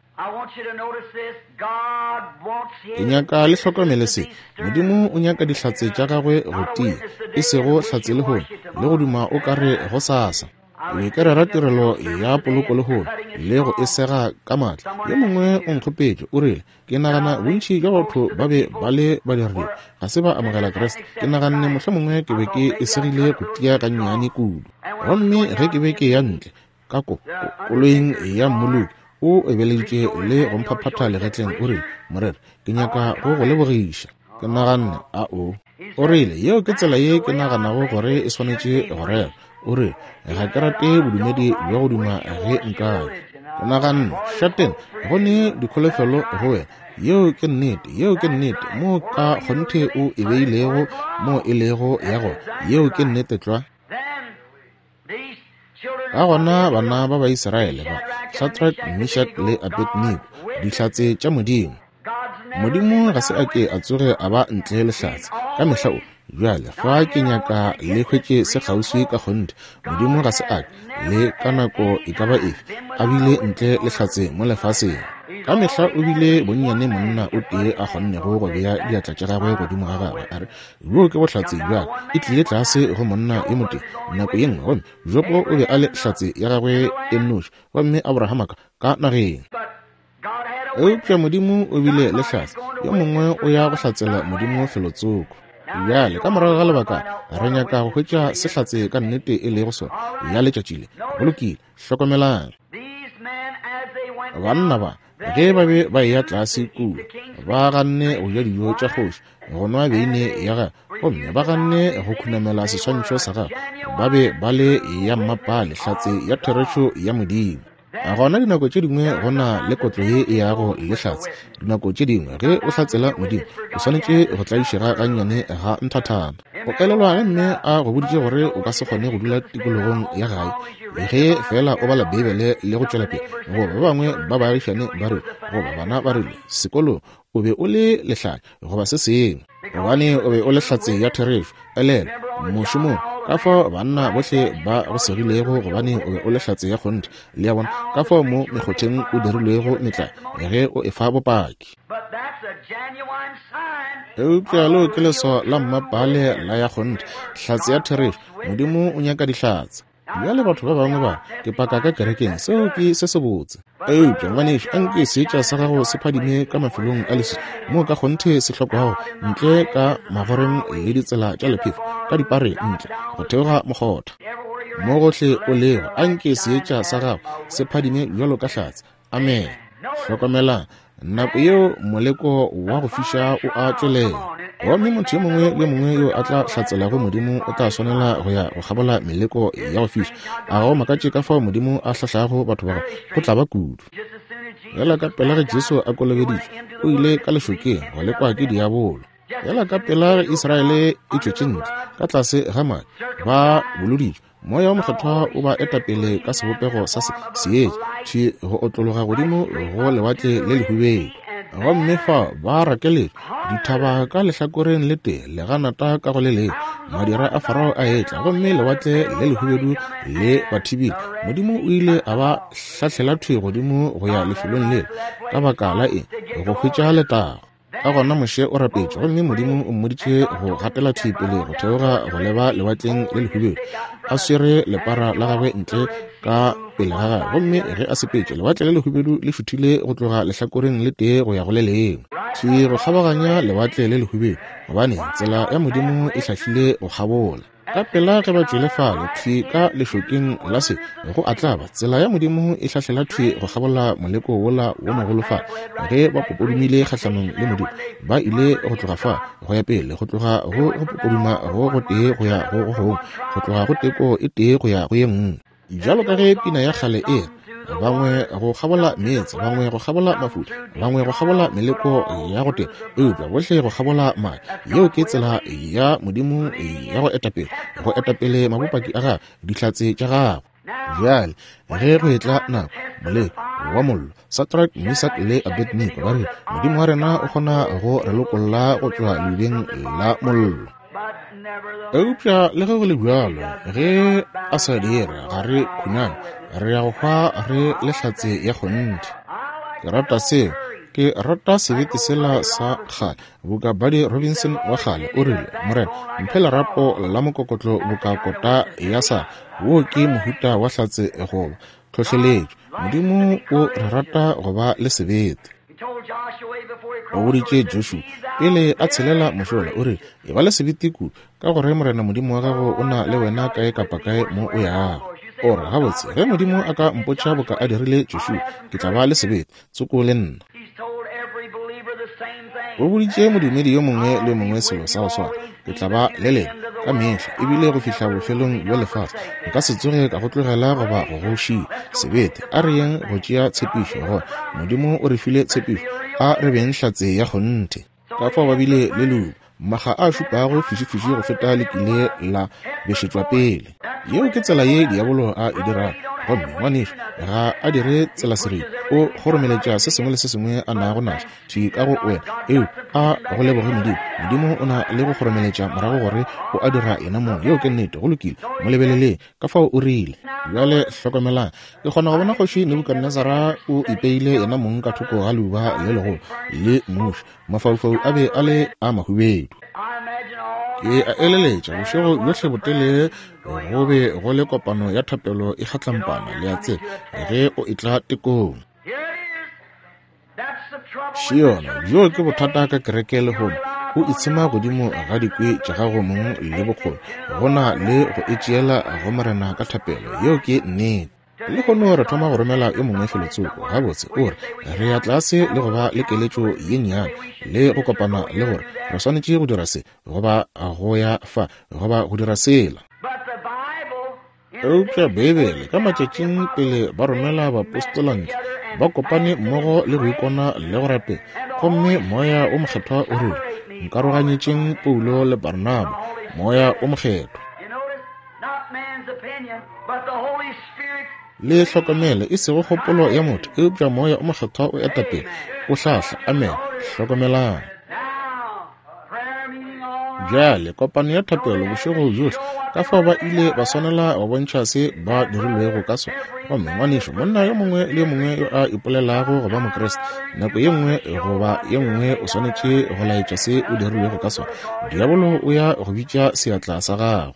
Ke nyaka le hlokomele se. Modimo o nyaka dihlatse tša gagwe go tia, e sego hlatse lehono le go duma o ka re gosasa. Ke be ke rera tirelo ya poloko lehono le go e sega ka maatla. Yo mongwe o nkgopetše, o rile, Ke nagana bontši bja batho ba be ba le badiradibe, ga se ba amogela Kriste. Ke naganne mohlomongwe ke be ke e segile go tia gannyane kudu. Gomme ge ke be ke eya ntle ka ko, ko, koloing ya mmoloki, o ebeleditše le go mphaphatha legetleng, o rile, Moreri, ke nyaka go go lebogiša. Ke naganne, A o. O rile, Yeo ke tsela ye ke naganago gore e swanetše go rera. O rile, Ga ke rate bodumedi bja go duma ge nkabe. Ke naganne, Šateng, go ne dikholofelo go wena. Yeo ke nnete. Yeo ke nnete. Moo ka kgonthe o e beilego moo e lego ya gona. Yeo ke nnete tlwa. Ka gona bana ba Baisraele ba, Shadrach, Meshach le Abednego, dihlatse tša Modimo. Modimo ga se a ke a tsoge a ba ntle le hlatse. Ka mehla o. Bjale, fa ke nyaka le hwetše se kgauswi ka kgonthe. Modimo ga se a ke, le ka nako e ka ba efe, a bile ntle le hlatse mo lefaseng. Ka mehla o bile bonnyane monna o tee a kgonnego go bea diatla tša gagwe godimo ga gagwe, a re, Bjoo ke bohlatse bja ka. E tlile tlase go monna yo motee nako ye nngwe, gomme Jobo o be a le hlatse ya gagwe e nnoši, gomme Abrahama ka, ka nageng. Eupša Modimo o bile le hlatse, yo mongwe o ya go hlatsela Modimo felotsoko. Bjale, ka morago ga lebaka, re nyaka go hwetša se hlatse ka nnete e lego sona ya letšatši le. Go lokile, hlokomelang. Banna ba, ge ba be ba eya tlase kua, ba ganne go ja dijo tša kgoši, go nwa beine ya gagwe, gomme ba ganne go khunamela seswantšho sa gagwe. Ba be ba le ya mmapale, hlatse ya therešo ya Modimo. Gona dinako tše dingwe go na le kotlo ye e yago le hlatse. Dinako tše dingwe ge o hlatsela Modimo, o swanetše go tlaišega gannyane ga nthathana. O elelwa ge mme a go boditše gore o ka se kgone go dula tikologong ya gae ge feela o bala Beibele le go tšwela pele, goba ba bangwe ba baagišane ba rile, goba bana ba rile sekolong, o be o le lehlanya goba se sengwe, gobane o be o le hlatse ya therešo. Elelwa, mošomong, ka fao banna bohle ba go segilego, gobane o be o le hlatse ya kgonthe. Le a bona? Ka fao mo mekgotheng o dirilwego metlae ge o efa bopaki. Eupša leo ke leswao la mmapaale la ya kgonthe, hlatse ya therešo. Modimo o nyaka dihlatse. Bjale batho ba bangwe ba ke paka ka kerekeng, seo ke se sebotse. Eupša ngwanešu, anke seetša sa gago se phadime ka mafelong a leswiswi moo ka kgonthe se hlokwago, ntle ka magoreng le ditsela tša lephefo, ka dipare ntle go theoga mokgotha. Mo gohle o lego, anke seetša sa gago se phadime bjalo ka hlatse. Amene. Hlokomelang, nako yeo moleko wa go fiša o a tšwelela. Gomme motho yo mongwe le yo mongwe yo a tla hlatselago Modimo o tla swanela go ya go kgabola meleko ya go fiša. A ga go makatše ka fao Modimo a hlahlago batho ba gagwe? Go tla ba kudu. Bjala ka pela ge Jesu a kolobeditšwe, o ile ka lešokeng go lekwa ke diabolo. Bjala ka pela ge Israele e tšwetše ntle ka tlase ga madi, ba boloditšwe, Moya wo Mokgethwa o ba eta pele ka sebopego sa se, seetša, thwi go otlologa godimo go Lewatle le Lehubedu. Gomme fa ba rakeletšwe, dithaba ka lehlakoreng le tee, leganata ka go le lengwe, madira a Farao a etla, gomme Lewatle le Lehubedu le ba thibile. Modimo o ile a ba hlahlela thwi godimo go ya lefelong lela. Ka baka la eng? Go hwetša letago. Ka gona Moshe o rapetše, gomme Modimo o mmoditše go gatela thwi pele go theoga go leba Lewatleng le Lehubedu, a swere lepara la gagwe ntle ka pele ga gagwe. Gomme ge a sepetše, Lewatle le Lehubedu le šuthile go tloga lehlakoreng le tee go ya go le lengwe, thwi go kgabaganya Lewatle le Lehubedu, gobane tsela ya Modimo e hlahlile go kgabola. Ka pela ge ba tšwele fale, thwi ka lešokeng la se, go a tlaba, tsela ya Modimo e hlahlela thwi go kgabola moleko wola wo mogolo fa. Ge ba popodumile kgahlanong le Modimo, ba ile go tloga fa go ya pele, go tloga go go popoduma go gotee go ya go go gongwe, go tloga go teko e tee go ya go ye nngwe. Bjalo ka ge pina ya kgale e re, Bangwe go kgabola meetse, bangwe go kgabola mafula, bangwe go kgabola meleko ya go teba, eupša bohle go kgabola madi. Yeo ke tsela ya Modimo ya go etapele, go etapele mabopaki a Gagwe, dihlatse tša Gagwe. Bjale, ge go etla nako, moleko wa mollo, Sadrach, Mesak le Abednego ba rile, Modimo wa rena o kgona go re lokolla go tšwa leubeng la mollo. Eupša le ge go le bjalo, ge a sa dire, ga re khuname, re ya go hwa re le hlatse ya kgonthe. Ke rata seo. Ke rata sebete sela sa kgale, boka Buddy Robinson wa kgale, o rile, Morena, mphe lerapo la mokokotlo boka kota ya sa. Wo ke mohuta wa hlatse goba tlhohleletšo. Modimo o re rata go ba le sebete. O boditše Joshua pele a tshelela mošola, o rile, Eba le sebete kudu, ka gore Morena Modimo wa gago o na le wena kae kapa kae mo o yago. O re, Gabotse, ge Modimo a ka mpotša boka a dirile Joshua, ke tla ba le sebete tsoko le nna. O boditše modumedi yo mongwe le yo mongwe selo sa go swana, Ke tla ba le lena ka mehla, ebile go fihla bofelong bja lefase. Nka se tsoge ka go tlogela goba go go šia. Sebete, a re yeng go tšea tshepišo, gona Modimo o re file tshepišo, a re beng hlatse ya kgonthe. Ka fao ba bile le leuba, makga a šupago fišifiši go feta le kile la bešetšwa pele. Yeo ke tsela ye diabolo a e dirago. Gomme, ngwanešu, ga a dire tselaseripa. O kgoromeletša se sengwe le se sengwe a nago naso thwi ka go wena. Eo, a go leboge Modimo. Modimo o na le go kgoromeletša morago gore o a dira yena mong. Yeo ke nnete. Go lokile. Mo lebeleleng. Ka fao o rile. Bjale hlokomelang. Ke kgona go bona Kgoši Nebukadnezara o ipeile yena mong ka thoko ga leuba le legolo le muši. Mafaufau a be a le a mahubedu. Ke a eleletša bošego bjohle botelele go be go le kopano ya thapelo e kgatlampana, le a tseba, ge o etla tekong. Šiona, bjoo ke bothata ka kereke lehono. O itshema godimo ga dikwi tša gago mong le bokgoni, go na le go e tšeela go Morena ka thapelo. Yeo ke nnete. Lehono re thoma go romela yo mongwe felotsoko. Gabotse, o re, re ya tlase le go ba le keletšo ye nnyane, le go kopana le gore re swanetše go dira se, goba go ya fa, goba go dira sela. Eupša Beibele, ka matšatšing pele ba romela baapostola ntle, ba kopane mmogo le go ikona le go rapela, gomme Moya wo Mokgethwa o rile, Nkaroganyetšeng Paulo le Barnaba, Moya wo Mokgethwa. Le hlokomele, e sego kgopolo ya motho, eupša Moya o Mokgethwa o eta pele, o hlahla. Amene. Hlokomelang. Bjale, kopano ya thapelo bošego bjohle, ka fao ba ile ba swanela go bontšha se ba dirilwego ka sona. Gomme, ngwanešu, monna yo mongwe le yo mongwe yo a ipolelago go ba Mokriste, nako ye nngwe goba ye nngwe o swanetše go laetša se o dirilwego ka sona. Diabolo o ya go bitša seatla sa gago.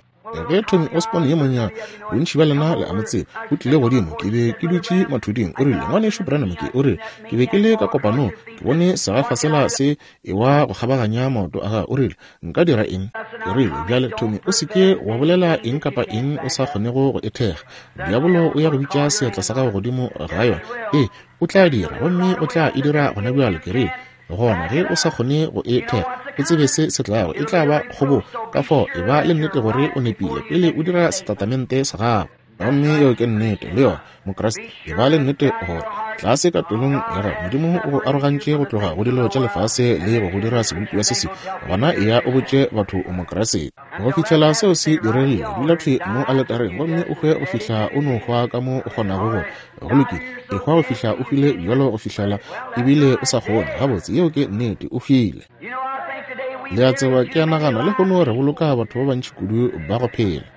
Ge Tommy Osborn yo monnyane, bontši bja lena le a mo tseba, o tlile godimo, ke be ke dutše mathuding, o rile, Ngwanešu Branham, ke, o rile, ke be ke le ka kopanong, ke bone segafa sela se ewa go kgabaganya maoto a gagwe, o rile, nka dira eng? Ke rile, Bjale, Tommy, o se ke wa bolela eng kapa eng o sa kgonego go e thekga. Diabolo o ya go bitša seatla sa gago godimo ga yona. Ee, o tla dira, gomme o tla e dira gonabjale. Ke rile, Gona ge o sa kgone go e thekga, o tsebe se se tlago, e tla ba kgobogo. Ka fao e ba le nnete gore o nepile pele o dira setatamente sa gago. Gomme yeo ke nnete, le yona, Mokriste. E ba le nnete gore tlase ka pelong ya gago Modimo o go arogantše go tloga go dilo tša lefase le go go dira sebopiwa se sengwe. Gona eya o botše batho o Mokriste. Go fihlela seo se diregile, dula thwi mo aletareng gomme o hwe go fihla o no hwa ka mo o kgonago go. Go lokile, ehwa go fihla o hwile bjalo go fihlela ebile o sa kgone. Gabotse, yeo ke nnete, o hwile. Le a tseba, ke a nagana lehono re boloka batho ba bantši kudu ba go phela.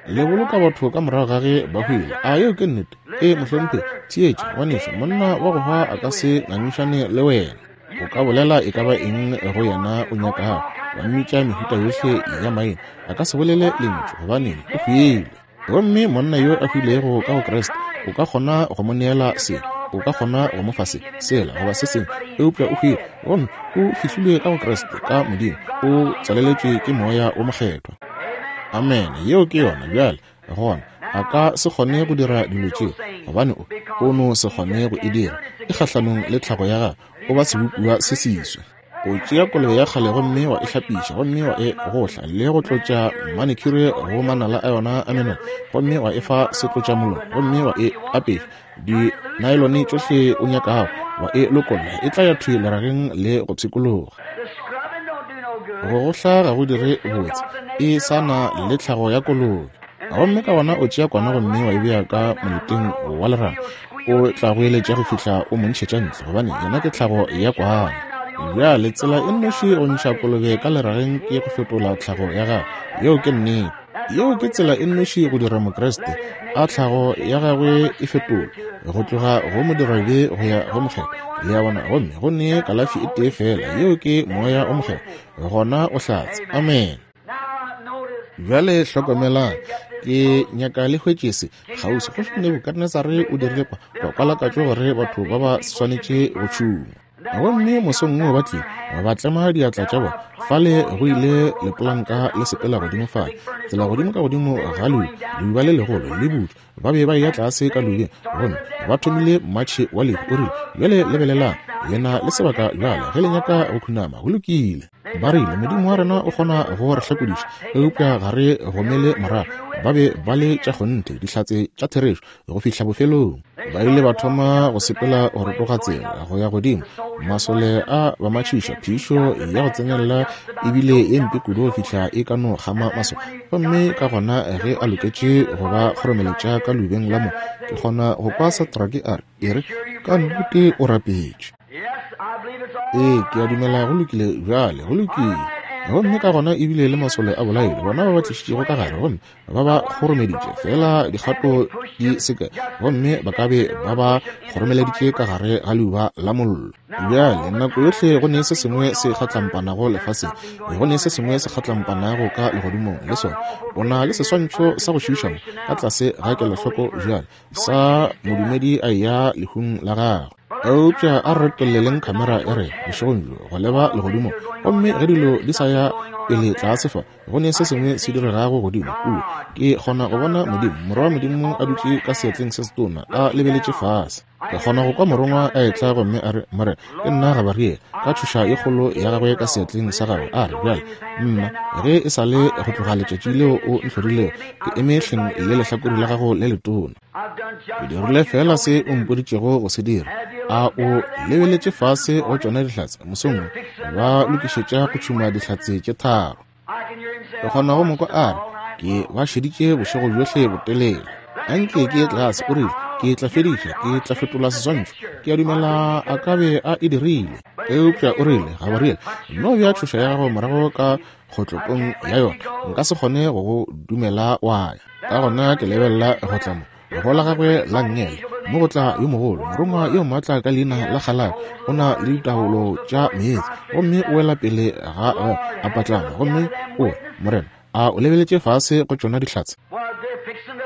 Le boloka batho ka morago ga ge ba hwile. A yeo ke nnete? Ee, mohlomphegi. Theetša, ngwanešu, monna wa go hwa a ka se ngangišane le wena. O ka bolela e ka ba eng go yena o nyakago, wa mmitša mehuta yohle ya maina, a ka se bolele lentšu, gobaneng, o hwile. Gomme monna yo a hwilego ka go Kriste, o ka kgona go mo neela se, o ka kgona go mo fa se, sela, goba se sengwe, eupša o hwile, gomme o fihlilwe ka go Kriste, ka Modimo, o tswaleletšwe ke Moya wo Mokgethwa. Amene. Yeo ke yona. Bjale, gona, a ka se kgone go dira dilo tše, gobane o, o no se kgone go e dira. E kgahlanong le tlhago ya gagwe, o ba sebopiwa se seswa. O tšea kolobe ya kgale gomme wa e hlapiša, gomme wa e gohla le go tlotša manicure go manala a yona a menwana, gomme wa e fa setlotšamolomo, gomme wa e apeša di naelone tšohle o nyakago, wa e lokolla, e tla ya thwi lerageng le go pshikologa. Go gohla ga go dire botse, e sa na le tlhago ya kolobe. Gomme ka gona o tšea kwana gomme wa e bea ka moleteng wa leraga, o tla go eletša go fihla o mo ntšhetša ntle, gobane yena ke tlhago ya kwana. Bjale tsela e nnoši go ntšha kolobe ka lerageng ke go fetola tlhago ya gagwe. Yeo ke nnete. Yeo ke tsela e nnoši go dira Mokriste a tlhago ya gagwe e fetolwe go tloga go modirabe go ya go mokgethwa. Le a bona? Gomme go ne kalafi e tee feela, yeo ke Moya o Mokgethwa, gona o hlatse. Amen. Bjale hlokomelang, ke nyaka le hwetše se kgauswi. Kgoši Nebukadnezare o dirile kwa, kwa kwalakatšo gore batho ba ba swanetše go tšhungwa. Gomme mosong wo ba tlile, ba tlema diatla tša bona. Fale go ile lepolanka le sepela godimo fale, tsela godimo ka godimo ga leuba, leuba le legolo le butšwa. Ba be ba eya tlase ka leubeng, gomme ba thomile mmatšhe wa lehu. O rile, Bjale lebelelang, le na le sebaka bjale ge le nyaka go khunama. Go lokile. Ba rile, Modimo wa rena o kgona go re hlakodiša, eupša ga re gomele morago. Ba be ba le tša kgonthe, dihlatse tša therešo, go fihla bofelong. Ba ile ba thoma go sepela go rotoga tsela go ya godimo. Masole a ba matšhiša, phišo ya go tsenelela e bile ye mpe kudu go fihla e ka no kgama masole. Gomme ka gona ge a loketše go ba kgoromeletša ka leubeng la mo, ke kgona go kwa Satrake a re, E re, ka nnete o rapetše. Ee, ke a dumela go lokile bjale, go lokile. Gomme ka gona ebile le masole a bolailwe, bona ba ba tlišitšego ka gare, gomme ba ba kgoromeditše fela dikgato di se kae, gomme ba ka be ba ba kgoromeleditše ka gare ga leuba la mollo. Bjale, nako yohle go ne se sengwe se kgatlampanago lefaseng, go ne se sengwe se kgatlampanago ka legodimong le sona. O na le seswantšho sa go šiiša mo ka tlase ga kelohloko bjale, sa modumedi a eya lehung la gagwe. Eupša a re retolleleng khamera ya rena bošegong bjo go leba legodimong, gomme ge dilo di sa ya pele tlase fa, go ne se sengwe se diregago godimo kua. Ke kgona go bona Modimo, Morwa wa Modimo, a dutše ka seatleng se setona, a lebeletše fase. Ke kgona go kwa Morongwa a etla gomme a re, Morena, ke nna Gabariele, ka tšhoša ye kgolo ya gagwe ka seatleng sa gagwe, a re, Bjale, nna, ge e sa le go tloga letšatši leo o ntlhorilego, ke eme hleng le lehlakore la gago le letona. Ke dirile feela se o mpoditšego go se dira. A o lebeletše fase go tšona dihlatse mosong wo, ba lokišetša go tšhuma dihlatse tše tharo. Ke kgona go mo kwa a re, Ke ba šeditše bošego bjohle botelele. Anke ke ye tlase, o rile, ke tla fediša, ke tla fetola seswantšho. Ke a dumela a ka be a e dirile. Eupša o rile, Gabriel, nno bea tšhoša ya gago morago ka kgotlopong ya yona. Nka se kgone go go dumela wa ya. Ka gona ke lebelela go tla mo go la gagwe la nngele, mo go tla yo mogolo morongwa yo maatla ka leina la Kgalako, o na le ditaolo tša meetse, gomme o wela pele ga a patlama, gomme o re, Morena, a o lebeletše fase go tšona dihlatse?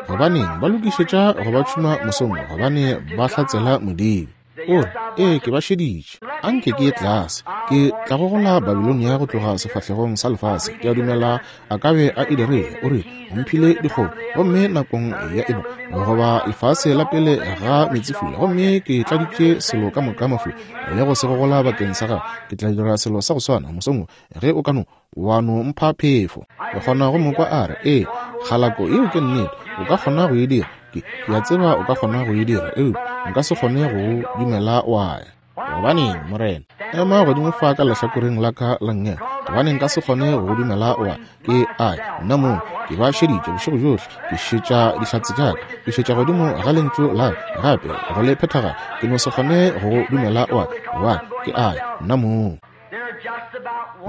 Gobaneng ba lokišetša go ba tšhuma mosong? Gobane ba hlatsela Modimo. O re, Ee, ke ba šeditše. Anke ke ye tlase. Ke tla gogola Babilonia go tloga sefahlegong sa lefase. Ke a dumela a ka be a e dirile. O rile, O mphile dikgomo, gomme nakong ya eba goba lefase la pele ga meetsefula, gomme ke tladitše selo ka moka mafula le go se gogola bakeng sa gago. Ke tla dira selo sa go swana mosong wo, ge o ka no wa no mpha phefo. Ke kgona go mo kwa a re, Ee, kgalako, yeo ke nnete. O ka kgona go e dira. Ke, ke a tseba o ka kgona go e dira, eupša nka se kgone go o dumela wa ya. Gobaneng, Morena, ema godimo fa ka lehlakoreng la ka la nngele. Gobaneng nka se kgone go go dumela wa ya? Ke a ya, nna mong. Ke ba šeditše bošego bjohle. Ke šetša dihlatse tša ka. Ke šetša godimo ga Lentšu la ka, gape go le phethagala. Ke no se kgone go go dumela wa ya. Gobane, ke a ya, nna mong.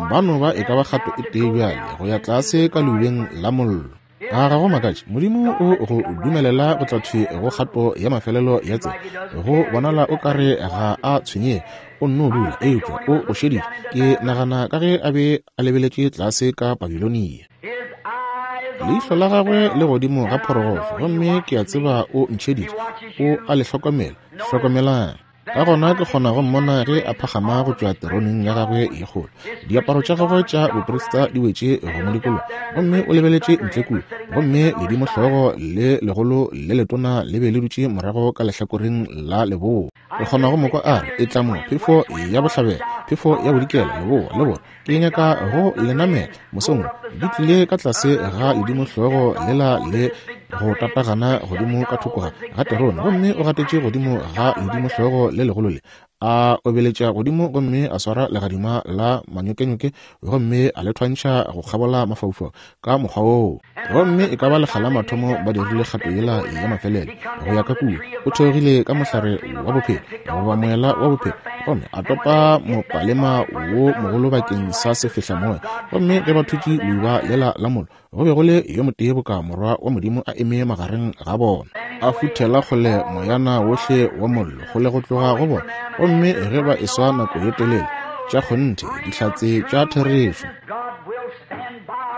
Ba no ba e ka ba kgato e tee bjale go ya tlase ka leubeng la mollo. A ga go makatše? Modimo o go dumelela go tla thwi go kgato ya mafelelo ya tsela. Go bonala o ka re ga a tshwenyege, o nno dula, eupša o go šeditše. Ke nagana ka ge a be a lebeletše tlase ka Babilonia. Leihlo la gagwe le godimo ga phorogohlo, gomme ke a tseba o ntšheditše. O a le hlokomela. Hlokomelang. Ka gona ke kgona go mmona ge a phagama go tšwa teroneng ya gagwe ye kgolo. Diaparo tša gagwe tša boprista di wetše go mo dikologa, gomme o lebeletše ntle kua, gomme ledimohlogo le legolo le letona le be le dutše morago ka lehlakoreng la leboa. Ke kgona go mo kwa a re, Etla mo, phefo ya bohlabela, phefo ya bodikela, leboa le borwa. Ke nyaka go le namela mosong wo. Di tlile ka tlase ga ledimohlogo lela le go tatagana godimo ka thoko ga terone, gomme o gatetše godimo ga ledimohlogo le legolo le, a obeletša godimo gomme a swara legadima la manyokenyoke gomme a le thwantšha go kgabola mafaufau ka mokgwa woo. Gomme e ka ba lekga la mathomo ba dirile kgato yela ya mafelelo go ya ka kua. O theogile ka mohlare wa bophelo, goba moela wa bophelo, gomme a topa mopalema wo mogolo bakeng sa sefehlamoya. Gomme ge ba thutše leuba lela la mollo, go be go le yo motee boka Morwa wa Modimo a eme magareng ga bona, a futhela kgole moyana wohle wa mollo kgole go tloga go bona. Gomme ge ba eswa nako ye telele, tša kgonthe, dihlatse tša therešo.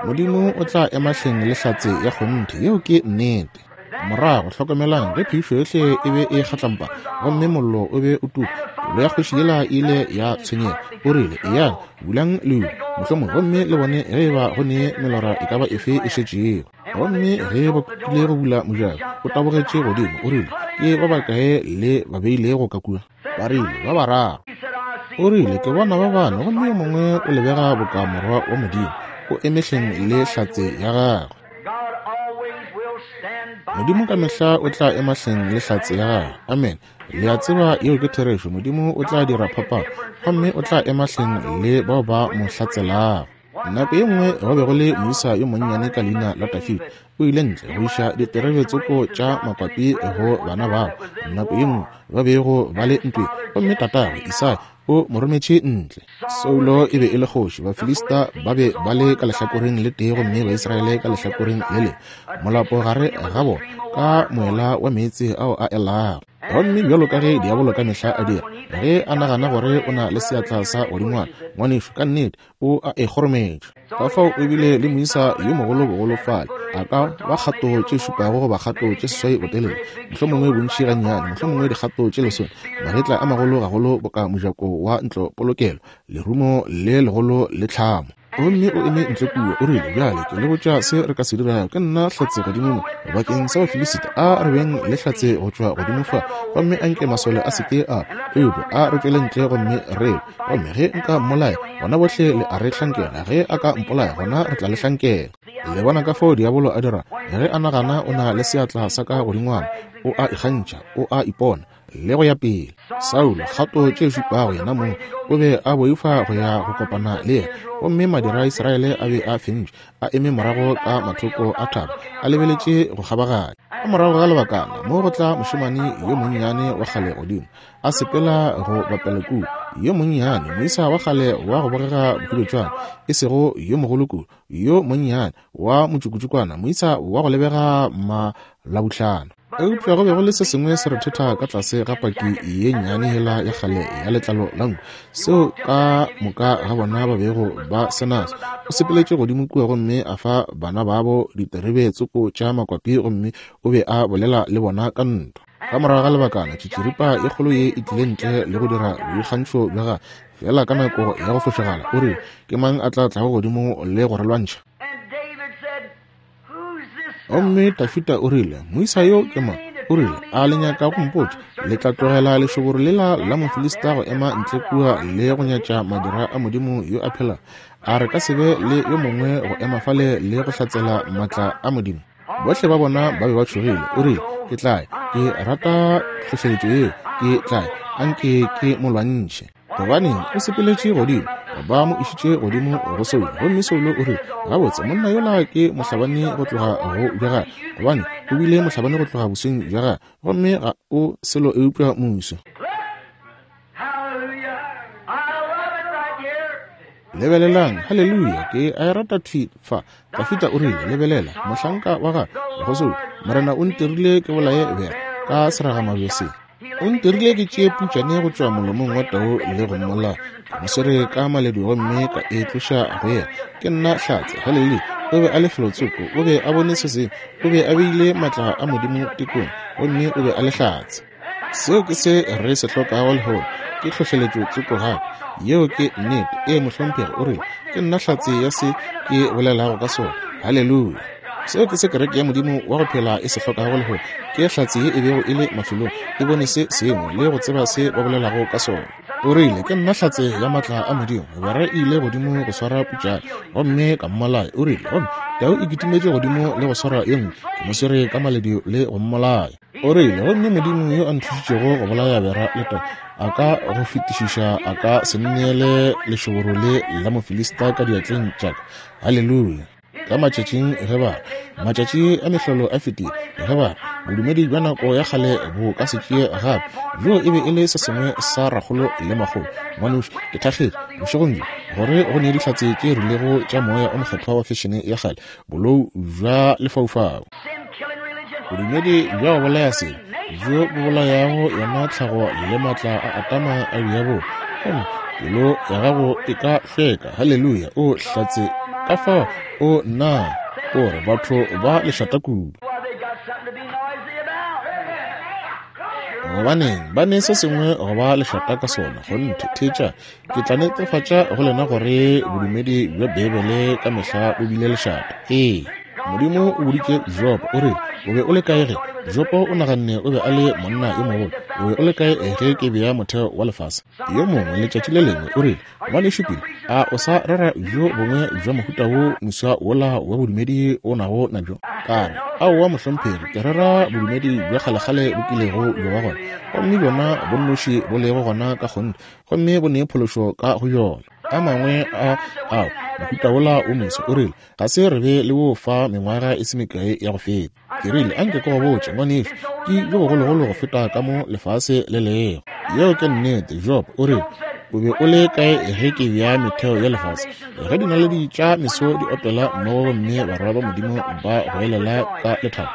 Modimo o tla ema hleng le hlatse ya kgonthe. Yeo ke nnete. Morago, hlokomelang, ge phišo yohle e be e kgatlampa gomme mollo o be o tuka, pelo ya kgoši yela e ile ya tshwenyega. O rile, Eyang, bulang leuba, mohlomongwe, gomme le bone ge eba go ne melora e ka ba efe e šetšego. Gomme ge ba kukile go bula mojako, o tabogetše godimo, o rile, Ke ba bakae le ba beilego ka kua? Ba rile, Ba bararo. O rile, Ke bona ba bane, gomme yo mongwe o lebega boka Morwa wa Modimo, o eme hleng le hlatse ya gagwe. Modimo ka mehla o tla ema hleng le hlatse ya gagwe. Amen. Le a tseba yeo ke therešo. Modimo o tla dira phapano, gomme o tla ema hleng le bao ba mo hlatselago. Nako ye nngwe go be go le moisa yo monnyane ka leina la Dafida, o ile ntle go iša diterebe tsoko tša makwapi go bana babo. Nako ye nngwe ba bego ba le ntweng, gomme tatagwe Isai o mo rometše ntle. Saulo e be e le kgoši, Bafilista ba be ba le ka lehlakoreng le tee gomme Baisraele ka lehlakoreng le lengwe, molapo gare ga bona ka moela wa meetse ao a elago. Gomme bjalo ka ge diabolo ka mehla a dira, ge a nagana gore o na le seatla sa godingwana, ngwanešu, ka nnete o a e kgorometša. Ka fao o bile le moisa yo mogolo bogolo fale, a ka ba kgato tše šupago goba kgato tše seswai botelele, mohlomongwe bontši gannyane, mohlomongwe dikgato tše lesome, magetla a magolo gagolo boka mojako wa ntlopolokelo, lerumo le legolo le tlhamo. Gomme o eme ntle kua, o rile, Bjale ke le botša se re ka se dirago. Ke nna hlatse godimo mo bakeng sa Bafilisita. A re beng le hlatse go tšwa godimo fa, gomme a nke masole a se ke a eupša a re tšwele ntle gomme re lwe. Gomme ge nka mmolaya, gona bohle le a re hlankela. Ge a ka mpolaya, gona re tla le hlankela. Le bona ka fao diabolo a dira? Ge a nagana o na le seatla sa ka godingwana, o a ikgantšha, o a ipona, le go ya pele. Saulo, kgato tše šupago yena mong, o be a boifa go ya go kopana le yena. Gomme madira a Israele a be a fentšwe, a eme morago ka mathoko a thaba, a lebeletše go kgabaganya. Ka morago ga lebakana, mo go tla mošemane yo monnyane wa kgale godimo, a sepela go bapela kua, yo monnyane, moisa wa kgale wa go bogega bohubetšwana, e sego yo mogolo kudu, yo monnyane, wa motšukutšukwana, moisa wa go lebega malabuhlano. Eupša go be go le se sengwe se rethetha ka tlase ga paki ye nnyane yela ya kgale ya letlalo la nku, seo ka moka ga bona ba bego ba se naso. O sepeletše godimo kua gomme a fa bana babo diterebe tsoko tša makwapi, gomme o be a bolela le bona ka ntwa. Ka morago ga lebakana, tšitširipa ye kgolo ye e tlile ntle le go dira boikgantšho bja gagwe, feela ka nako ya go fošagala. O rile, Ke mang a tla tlago godimo le go re lwantšha? Gomme Dafida o rile, Moisa yo ke mang? O rile, A le nyaka go mpotša? Le tla tlogela lešoboro lela la Mofilista go ema ntle kua le go nyatša madira a Modimo yo a phelago? A re ka se be le yo mongwe go ema fale le go hlatsela maatla a Modimo? Bohle ba bona ba be ba tšhogile. O rile, Ke tla ya. Ke rata tlhohleletšo yeo. Ke tla ya. Anke ke mo lwantšhe. Gobaneng, o sepeletše godimo. Ba mo išitše godimo go Saulo. Gomme Saulo o rile, Gabotse, monna yola ke mohlabani go tloga go bja gagwe, gobane o bile mohlabani go tloga bosweng bja gagwe, gomme ga o selo eupša muso. Lebelelang, haleluya, ke a e rata thwi fa. Dafida o rile, Lebelela, mohlanka wa gago, go Saulo, Morena o ntirile ke bolaye bera ka seragamabje se. O ntirile ke tšee putšane go tšwa molomong wa tau le go mmolaya. Ke mo swere ka maledu gomme ka e tloša go yena. Ke nna hlatse. Haleluya! O be a le felotsoko. O be a bone se sengwe. O be a beile matla a Modimo tekong, gomme o be a le hlatse. Seo ke se re se hlokago lehono, ke tlhohleletšo tsoko gape. Yeo ke nnete. Ee, mohlomphegi, o rile, Ke nna hlatse ya se ke bolelago ka sona. Haleluya! Seo ke se kereke ya Modimo wa go phela e se hlokago lehono, ke hlatse ye e bego e le mafelong, e bone se sengwe le go tseba se ba bolelago ka sona. O rile, Ke nna hlatse ya maatla a Modimo. Bera e ile godimo go swara putšane, gomme ka mmolaya. O rile, Gomme tau e kitimetše godimo le go swara ye nngwe, ke mo swere ka maledu le go mmolaya. O rile, Gomme Modimo yo a nthušitšego go bolaya bera le tau, a ka go fetišiša a ka se nneele lešoboro le la Mofilista ka diatleng tša ka. Haleluya! Ka matšatšing ge ba re, Matšatši a mehlolo a fetile, ge ba re, Bodumedi bja nako ya kgale bo ka se tšee gape, bjoo e be e le se sengwe sa rakgolo le makgolo. Ngwanešu, ke thakgetše, bošegong bjo, gore go ne dihlatse tše rilego tša Moya o Mokgethwa wa fešene ya kgale, bolou bja lefaufau. Bodumedi bja go bolaya sebe, bjo bo bolayago yona tlhago le maatla a Atama a diabolo. Gomme pelo ya gago e ka hlweka. Haleluya! O hlatse ka fao o nna o re batho ba lešata kudu. Gobaneng, ba ne se sengwe go ba lešata ka sona. Kgonthe, theetša, ke tla netefatša go lena gore bodumedi bja Beibele ka mehla bo bile lešata. Ee. Modimo o boditše Jobo, o rile, O be o le kae ge? Jobo o naganne o be a le monna yo mogolo. O be o le kae ge ke bea motheo wa lefase? Yo mongwe letšatši le lengwe o rile, Ngwanešu Billy, a o sa rera bjo bongwe bja mohuta wo moswa wola wa bodumedi o nago nabjo? Ka re, Aowa, mohlomphegi, ke rera bodumedi bja kgalekgale bo kilego bja ba gona, gomme bjona bo nnoši bo lego gona ka kgonthe, gomme bo ne phološo ka go bjona. A mangwe a ao mohuta wola wo moswa, o rile, Ga se re be le wo fa mengwaga e se mekae ya go feta. Ke rile, Anke ke go botše, ngwanešu, ke bjo bogologolo go feta ka mo lefase le lego. Yeo ke nnete. Job o rile, O be o le kae ge ke bea metheo ya lefase? Ge dinaledi tša meso di opela mmogo gomme barwa ba Modimo ba goelela ka lethabo?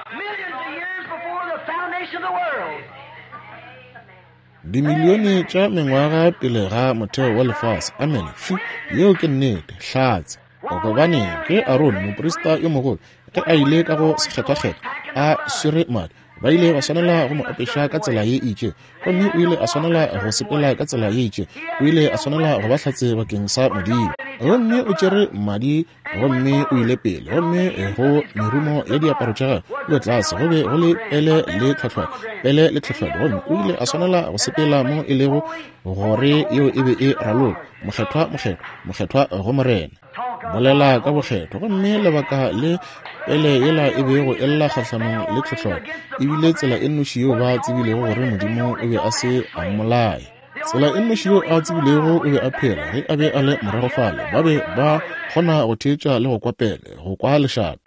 Dimilione tša mengwaga pele ga motheo wa lefase. Amene. Fi, yeo ke nnete. Hlatse. Gobaneng, ge Arone, moprista yo mogolo, ge a ile ka go sekgethwakgethwa, a swere madi, ba ile ba swanela go mo apeša ka tsela ye e itšego, gomme o ile a swanela go sepela ka tsela ye itšego, o ile a swanela go ba hlatse bakeng sa Modimo. Gomme o tšere madi gomme o ile pele, gomme go merumo ya diaparo tša gagwe kua tlase go be go le pele le tlhohlwane, pele le tlhohlwane, gomme o ile a swanela go sepela mo e lego gore yeo e be e raloka, Mokgethwa, mokgethwa, mokgethwa go Morena. Bolela ka bokgethwa. Gomme lebaka le pele yela e bego e lla kgahlanong le tlhohlwane, e bile tsela e nnoši yeo ba tsebilego gore Modimo o be a se a mmolaya. Tsela e nnoši yeo a tsebilego o be a phela, ge a be a le morago fale, ba be ba kgona go theetša le go kwa pele, go kwa lešata.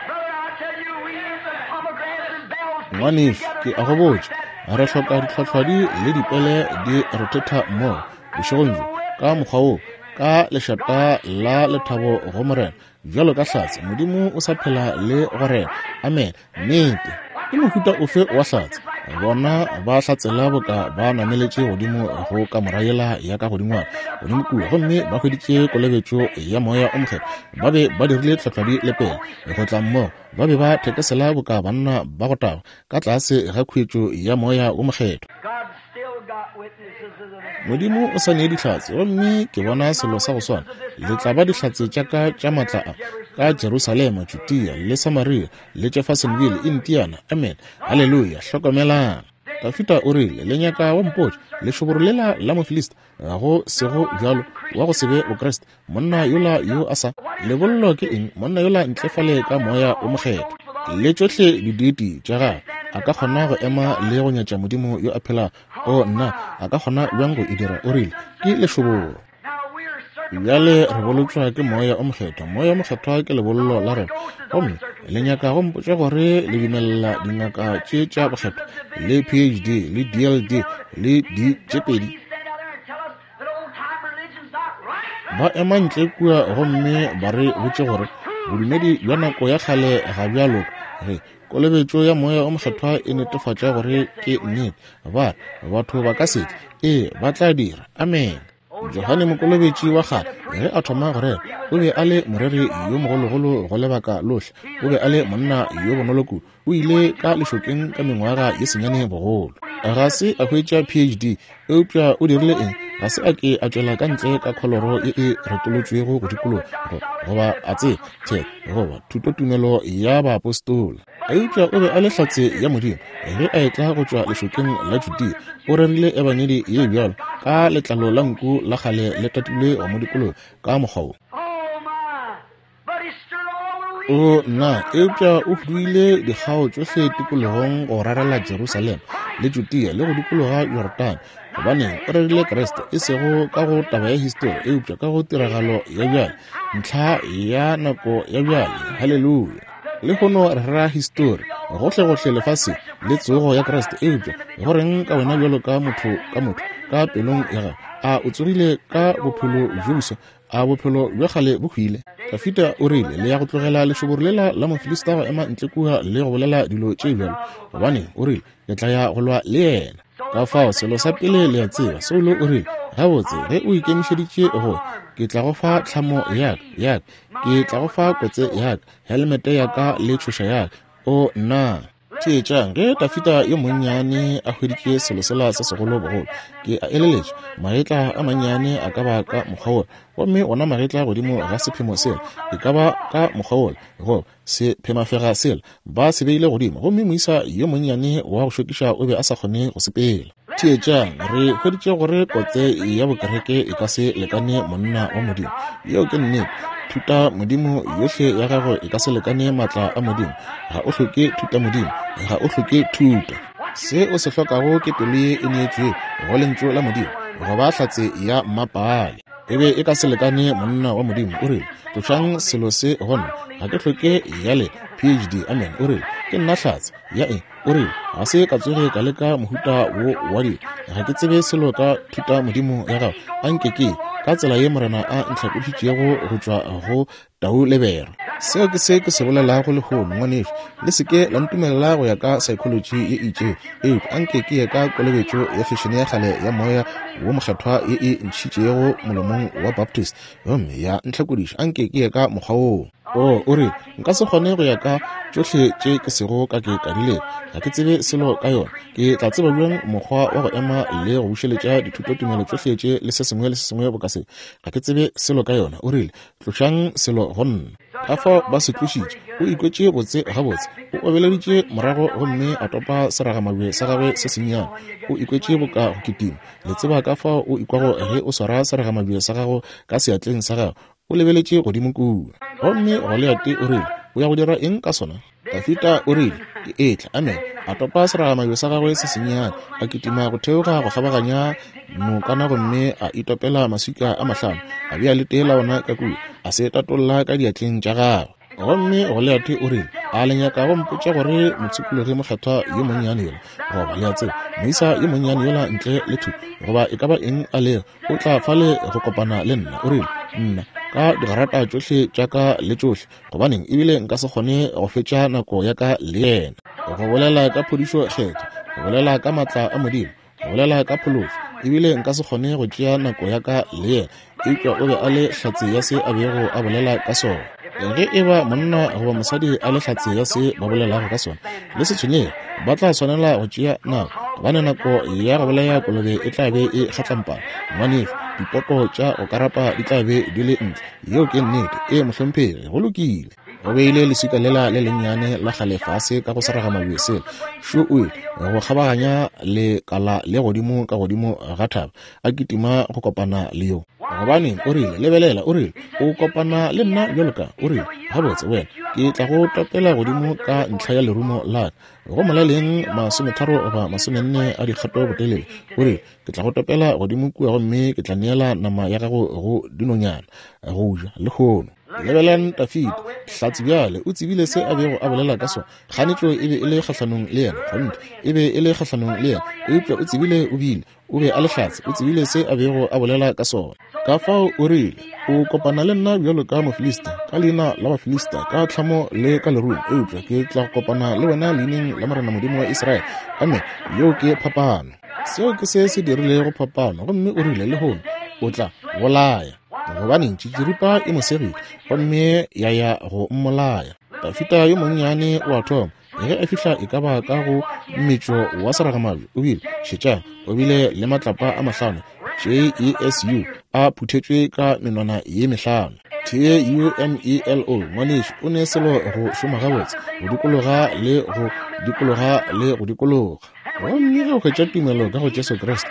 Ngwanešu, ke a go botša, re hloka ditlhohlwadi le dipele di rethetha mmogo bošegong bjo ka mokgwa wo, ka lešata la lethabo go Morena, bjalo ka hlatse. Modimo o sa phela le go rena. Amen. Nnete. Ke mohuta ofe wa hlatse? Bona ba hlatsela boka ba nameletše godimo go kamora yela ya ka godingwana godimo kua, gomme ba hweditše kolobetšo ya Moya o Mokgethwa. Ba be ba dirile tlhohlwadi le pele go tla mmogo. Ba be ba thekesela boka banna ba go tagwa ka tlase ga khuetšo ya Moya wo Mokgethwa. Modimo o sa nee dihlatse, gomme ke bona selo sa go swana. Le tla ba dihlatse tša ka tša maatla a, ka Jerusalema, Judea, le Samaria, le Jeffersonville, Indiana. Amen. Haleluya. Hlokomelang. Dafida o rile, Le nyaka go mpotša, lešoboro lela la Mofilista, ga go sego bjalo, wa go se be Bokriste, monna yola yo a sa lebollo ke eng, monna yola ntle fale ka Moya wo Mokgethwa le tšohle dideiti tša gagwe, a ka kgona go ema le go nyatša Modimo yo a phelago? O nna, a ka kgona bjang go e dira? O rile, Ke lešoboro. Bjale re bolotšwa ke Moya o Mokgethwa. Moya o Mokgethwa ke lebollo la rena. Gomme le nyaka go mpotša gore le dumelela dingaka tše tša bokgethwa le PhD le DLD le D tše pedi ba ema ntle kua gomme ba re botše gore bodumedi bja nako ya kgale ga bja loka? Ge kolobetšo ya Moya o Mokgethwa e netefatša gore ke nnete, ba re batho ba ka se tle. Ee, ba tla dira. Amene. Johane Mokolobetši wa kgale, ge a thoma go rera, o be a le moreri yo mogologolo go lebaka lohle. O be a le monna yo bonolo kudu. O ile ka lešokeng ka mengwaga ye senyane bogolo. Ga se a hwetša PhD, eupša o dirile eng? Ga se a ke a tšwela ka ntle ka kholoro ye e retolotšwego go dikologa, goba a tseba, the, goba thutotumelo ya baapostola. Eupša o be a le hlatse ya Modimo ge a etla go tšwa lešokeng la Judea. O rerile ebangedi ye bjalo ka letlalo la nku la kgale le tatilwe go mo dikologa ka mokgwa wo. O nna, eupša o huduile dikgao tšohle tikologong go rarela Jerusalema le Judea le go dikologa Jorodane. Gobaneng, o rerile Kriste, e sego ka go taba ya histori, eupša ka go tiragalo ya bjale, ntlha ya nako ya bjale. Haleluya! Lehono re rera histori gohlegohle lefaseng le tsogo ya Kriste, eupša go reng ka wena bjalo ka motho ka motho ka pelong ya gago? A o tsogile ka bophelo bjo boswa? A bophelo bja kgale bo hwile? Dafida o rile, Le ya go tlogela lešoboro lela la Mofilista go ema ntle kua le go bolela dilo tše bjalo? Gobaneng, o rile, ke tla ya go lwa le yena. Ka fao, selo sa pele le a tseba, Saulo o rile, Gabotse, ge o ikemišeditše go, ke tla go fa tlhamo ya ka, ya ka. Ke tla go fa kotse ya ka, helmete ya ka le tšhoša ya ka. O, nna! Theetšang, ge Dafida yo monnyane a hweditše selo sela se segolo bogolo, ke a eleletša, magetla a mannyane a ka ba ka mokgwa wola, gomme ona magetla godimo ga sephemo sela e ka ba ka mokgwa wola, goba sephemafega sela, ba se beile godimo, gomme moisa yo monnyane wa go šokiša o be a sa kgone go sepela. Theetšang, re hweditše gore kotse ya bokereke e ka se lekane monna wa Modimo. Yeo ke nnete. Thuta Modimo yohle ya gago e ka se lekane maatla a Modimo. Ga o hloke thuta Modimo, ga o hloke thuto. Se o se hlokago ke pelo ye e neetšwego go Lentšu la Modimo, go ba hlatse ya mmapaale. E be e ka se lekane monna wa Modimo. O rile, Tlošang selo se go nna. Ga ke hloke ya le PhD. Amen. O rile, Ke nna hlatse ya eng? O rile, Ga se ka tsoge ka leka mohuta wo wa dilo. Ga ke tsebe selo ka thutamodimo ya gago. A nke ke, ka tsela ye Morena a ntlhakodišitšego go tšwa go tau le bere. Seo ke se ke se bolelago lehono, ngwanešu. Le se ke la ntumelela go ya ka saekholotši ye e itšego, eupša a nke ke ye ka kolobetšo ya fešene ya kgale ya Moya wo Mokgethwa ye e ntšhitšego molomong wa Baptist gomme ya ntlhakodiša. A nke ke ye ka mokgwa woo. O, o rile, Nka se kgone go ya ka tšohle tše ke sego ka ke ka di leka. Ga ke tsebe selo ka yona. Ke tla tseba bjang mokgwa wa go ema le go bušeletša dithutotumelo tšohle tše le se sengwe le se sengwe boka se? Ga ke tsebe selo ka yona. O rile, Tlošang selo go nna. Ka fao ba se tlošitše. O ikwetše botse gabotse. O obeleditše morago gomme a topa seragamabje sa gagwe se sennyane. O ikwetše boka go kitima. Le tseba ka fao o ikwago ge o swara seragamabje sa gago ka seatleng sa gago. O lebeletše godimo kua. Gomme Goliate o rile, O ya go dira eng ka sona? Dafida o rile, Ke etla. Amen. A topa seragamabje sa gagwe se sennyane, a kitima go theoga go kgabaganya nokana gomme a itopela maswika a mahlano, a bea le tee la ona ka kua, a se tatolla ka diatleng tša gagwe. Gomme Goliate o rile, A le nyaka go mpotša gore mopshikologi mokgethwa yo monnyane yola, goba le a tseba, moisa yo monnyane yola ntle le thuto, goba e ka ba eng a lego, o tla fale go kopana le nna? O rile, Nna, ka digarata tšohle tša ka le tšohle, gobaneng, ebile nka se kgone go fetša nako ya ka le yena. Go bolela ka phodišo Kgethwa, go bolela ka maatla a Modimo, go bolela ka phološo, ebile nka se kgone go tšea nako ya ka le yena. Eupša o be a le hlatse ya se a bego a bolela ka sona. Ge e ba monna goba mosadi a le hlatse ya se ba bolelago ka sona, le se tshwenyege, ba tla swanela go tšea nako, gobane nako ya go bolaya kolobe e tla be e kgatlampana. Ngwanešu, dipoko tša go karapa di tla be di le ntle. Yeo ke nnete. Ee, mohlomphegi. Go lokile. O beile leswika lela le lennyane la kgale fase ka go seragamabje sela. Šo o ile go kgabaganya lekala le godimo ka godimo ga thaba, a kitima go kopana le yo. Gobaneng, o rile, lebelela, o rile, o kopana le nna bjalo ka, o rile, gabotse, wena, ke tla go topela godimo ka ntlha ya lerumo la ka, go molaleng masometharo goba masomenne a dikgato botelele. O rile, Ke tla go topela godimo kua gomme ke tla neela nama ya gago go dinonyana go ja lehono. Lebelelang Dafida, hlatse bjale, o tsebile se a bego a bolela ka sona. Kganetšo e be e le kgahlanong le yena, kgonthe, e be e le kgahlanong le yena, eupša o tsebile o bile, o be a le hlatse, o tsebile se a bego a bolela ka sona. Ka fao o rile, O kopana le nna bjalo ka Mofilista, ka leina la Bafilista, ka tlhamo le ka lerumo, eupša ke tla go kopana le wena leineng la Morena Modimo wa Israele. Amen. Yeo ke phapano. Seo ke se se dirilego phapano. Gomme o rile, Lehono o tla bolaya. Gobaneng, tšitširipa e mo segile, gomme ya ya go mmolaya. Dafida yo monnyane o a thoma. Ge a fihla e ka ba ka go mmetšo wa seragamabje, o bile, šetšang, o bile le matlapa a mahlano, J-E-S-U, a phuthetšwe ka menwana ye mehlano. T-U-M-E-L-O, ngwanešu, o ne selo go šoma gabotse, go dikologa le go dikologa le go dikologa. Gomme ge o hwetša tumelo ka go Jesu Kriste,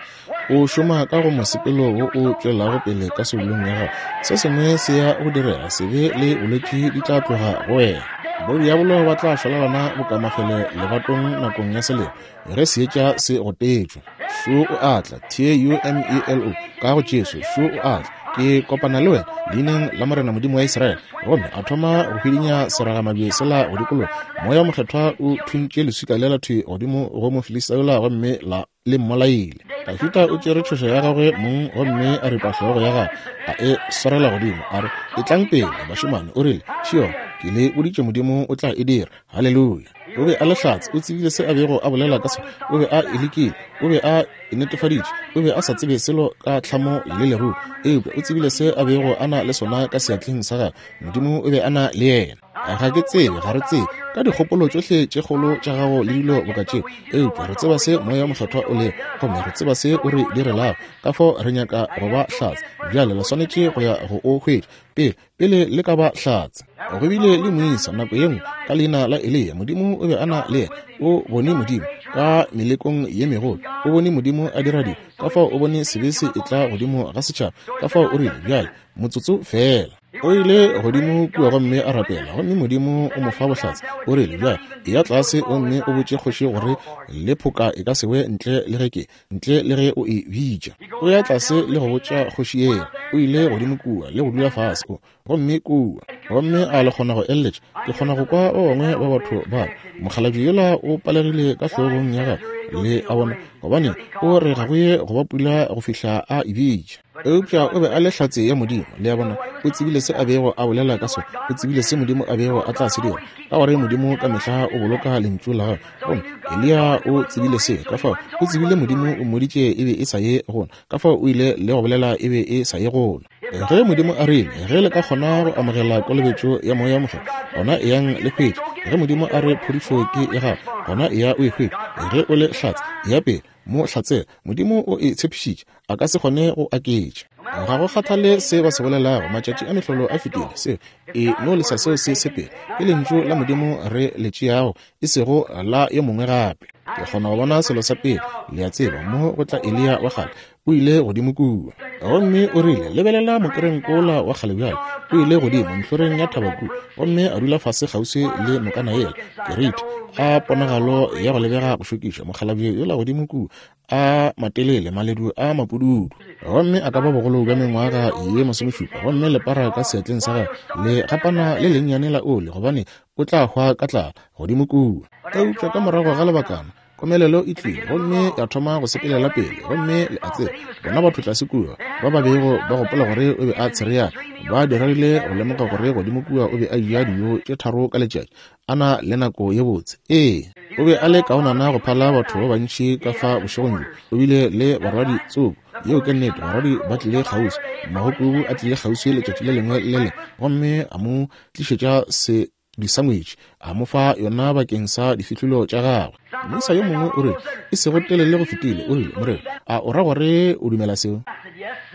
o šoma ka go mosepelo wo o tšwelago pele ka soulong ya gago. Se sengwe se ya go direga, sebe le bolwetši di tla tloga go wena. Bodiabolo ba tla šwalalana bokamafele lebatong nakong ya selemo ge seetša se gotetšwe. Šo o a tla, T-U-M-E-L-O, ka go Jesu, šo o a tla. Ke kopana le wena leineng la Morena Modimo wa Israele. Gomme a thoma go hwidinya seragamabje sela go dikologa. Moya wo Mokgethwa o thuntše leswika lela thwi godimo go Mofilista yola gomme la le mmolaile. Dafida o tšere tšhoša ya gagwe mong gomme a ripa hlogo ya gagwe, a e swarela godimo, a re, Etlang pele, bašemane, o rile, Šion, ke le boditše Modimo o tla e dira. Haleluya! O be a le hlatse, o tsebile se a bego a bolela ka sona, o be a e lekile, o be a e netefaditše, o be a sa tsebe selo ka tlhamo le leruo, eupša o tsebile se a bego a na le sona ka seatleng sa gagwe. Modimo o be a na le yena. Ga ke tsebe, ga re tsebe ka dikgopolo tšohle tše kgolo tša gago le dilo boka tšeo, eupša re tseba se Moya Mokgethwa o lego, gomme re tseba se o re direlago. Ka fao re nyaka go ba hlatse. Bjale le swanetše go ya go o hwetša pele, pele le ka ba hlatse. Go bile le moisa nako ye nngwe ka leina la Eliya. Modimo o be a na le yena. O bone Modimo ka melekong ye megolo. O bone Modimo a dira dilo. Ka fao o bone sebe se etla godimo ga setšhaba. Ka fao o rile, Bjale, motsotso feela. O ile godimo kua gomme a rapela, gomme Modimo o mo fa bohlatse. O rile, Bjale, eya tlase gomme o botše kgoši gore le phoka e ka se we ntle le ge ke, ntle le ge o e bitša. O ya tlase le go botša kgoši yela. O ile godimo kua le go dula fase, o, gomme kua. Gomme a le kgona go eleletša? Ke kgona go kwa ba bangwe ba batho ba mokgalabje yola o palegile ka hlogong ya gagwe, le a bona, gobane o re ga go ye go ba pula go fihla a e bitša. Eupša o be a le hlatse ya Modimo, le a bona, o tsebile se a bego a bolela ka sona, o tsebile se Modimo a bego a tla se dira, ka gore Modimo ka mehla o boloka Lentšu la Gagwe. Gomme Eliya o tsebile seo, ka fao o tsebile Modimo o mmoditše e be e sa ye gona, ka fao o ile le go bolela e be e sa ye gona. Ge Modimo a rile, Ge le ka kgona go amogela kolobetšo ya Moya wo Mokgethwa, gona eyang le hwetše. Ge Modimo a re phodišo ke ya gago, gona eya o e hwetše. Ge o le hlatse, eya pele, mo hlatsela. Modimo o e tshepišitše, a ka se kgone go aketša. Ga go kgathale se ba se bolelago, matšatši a mehlolo a fetile, seo e no lesa seo se sepele. Ke Lentšu la Modimo re le tšeago, e sego la yo mongwe gape. Ke kgona go bona selo sa pele, le a tseba, mo go tla Eliya wa kgale, o ile godimo kua. Gomme o rile, Lebelela mokerenkola wa kgale bjale. O ile godimo ntlhoreng ya thaba kua, gomme a dula fase kgauswi le nokana yela, Keriti, a ponagalo ya go lebega go šokiša, mokgalabje yola godimo kua, a matelele, maledu a mapududu, gomme a ka ba bogolo bja mengwaga ye masomešupa, gomme lepara ka seatleng sa gagwe, le gapana le lennyane la oli, gobane o tla hwa ka tlala godimo kua. Eupša ka morago ga lebakana, komelelo e tlile, gomme ya thoma go sepelela pele, gomme le a tseba, bona batho tlase kua ba ba bego ba gopola gore o be a tshereana, ba diregile go lemoga gore godimo kua o be a eja dijo tše tharo ka letšatši, a na le nako ye botse. Ee, o be a le kaonana go phala batho ba bantši ka fa bošegong bjo. O bile le barwadi tsoko. Yeo ke nnete, barwadi ba tlile kgauswi. Mmagokubu a tlile kgauswi letšatši le lengwe le le lengwe gomme a mo tlišetša se disangwetši, a mo fa yona bakeng sa difihlolo tša gagwe. Moisa yo mongwe o rile, e sego telele go fetile, o rile, Morena, a o ra gore o dumela seo?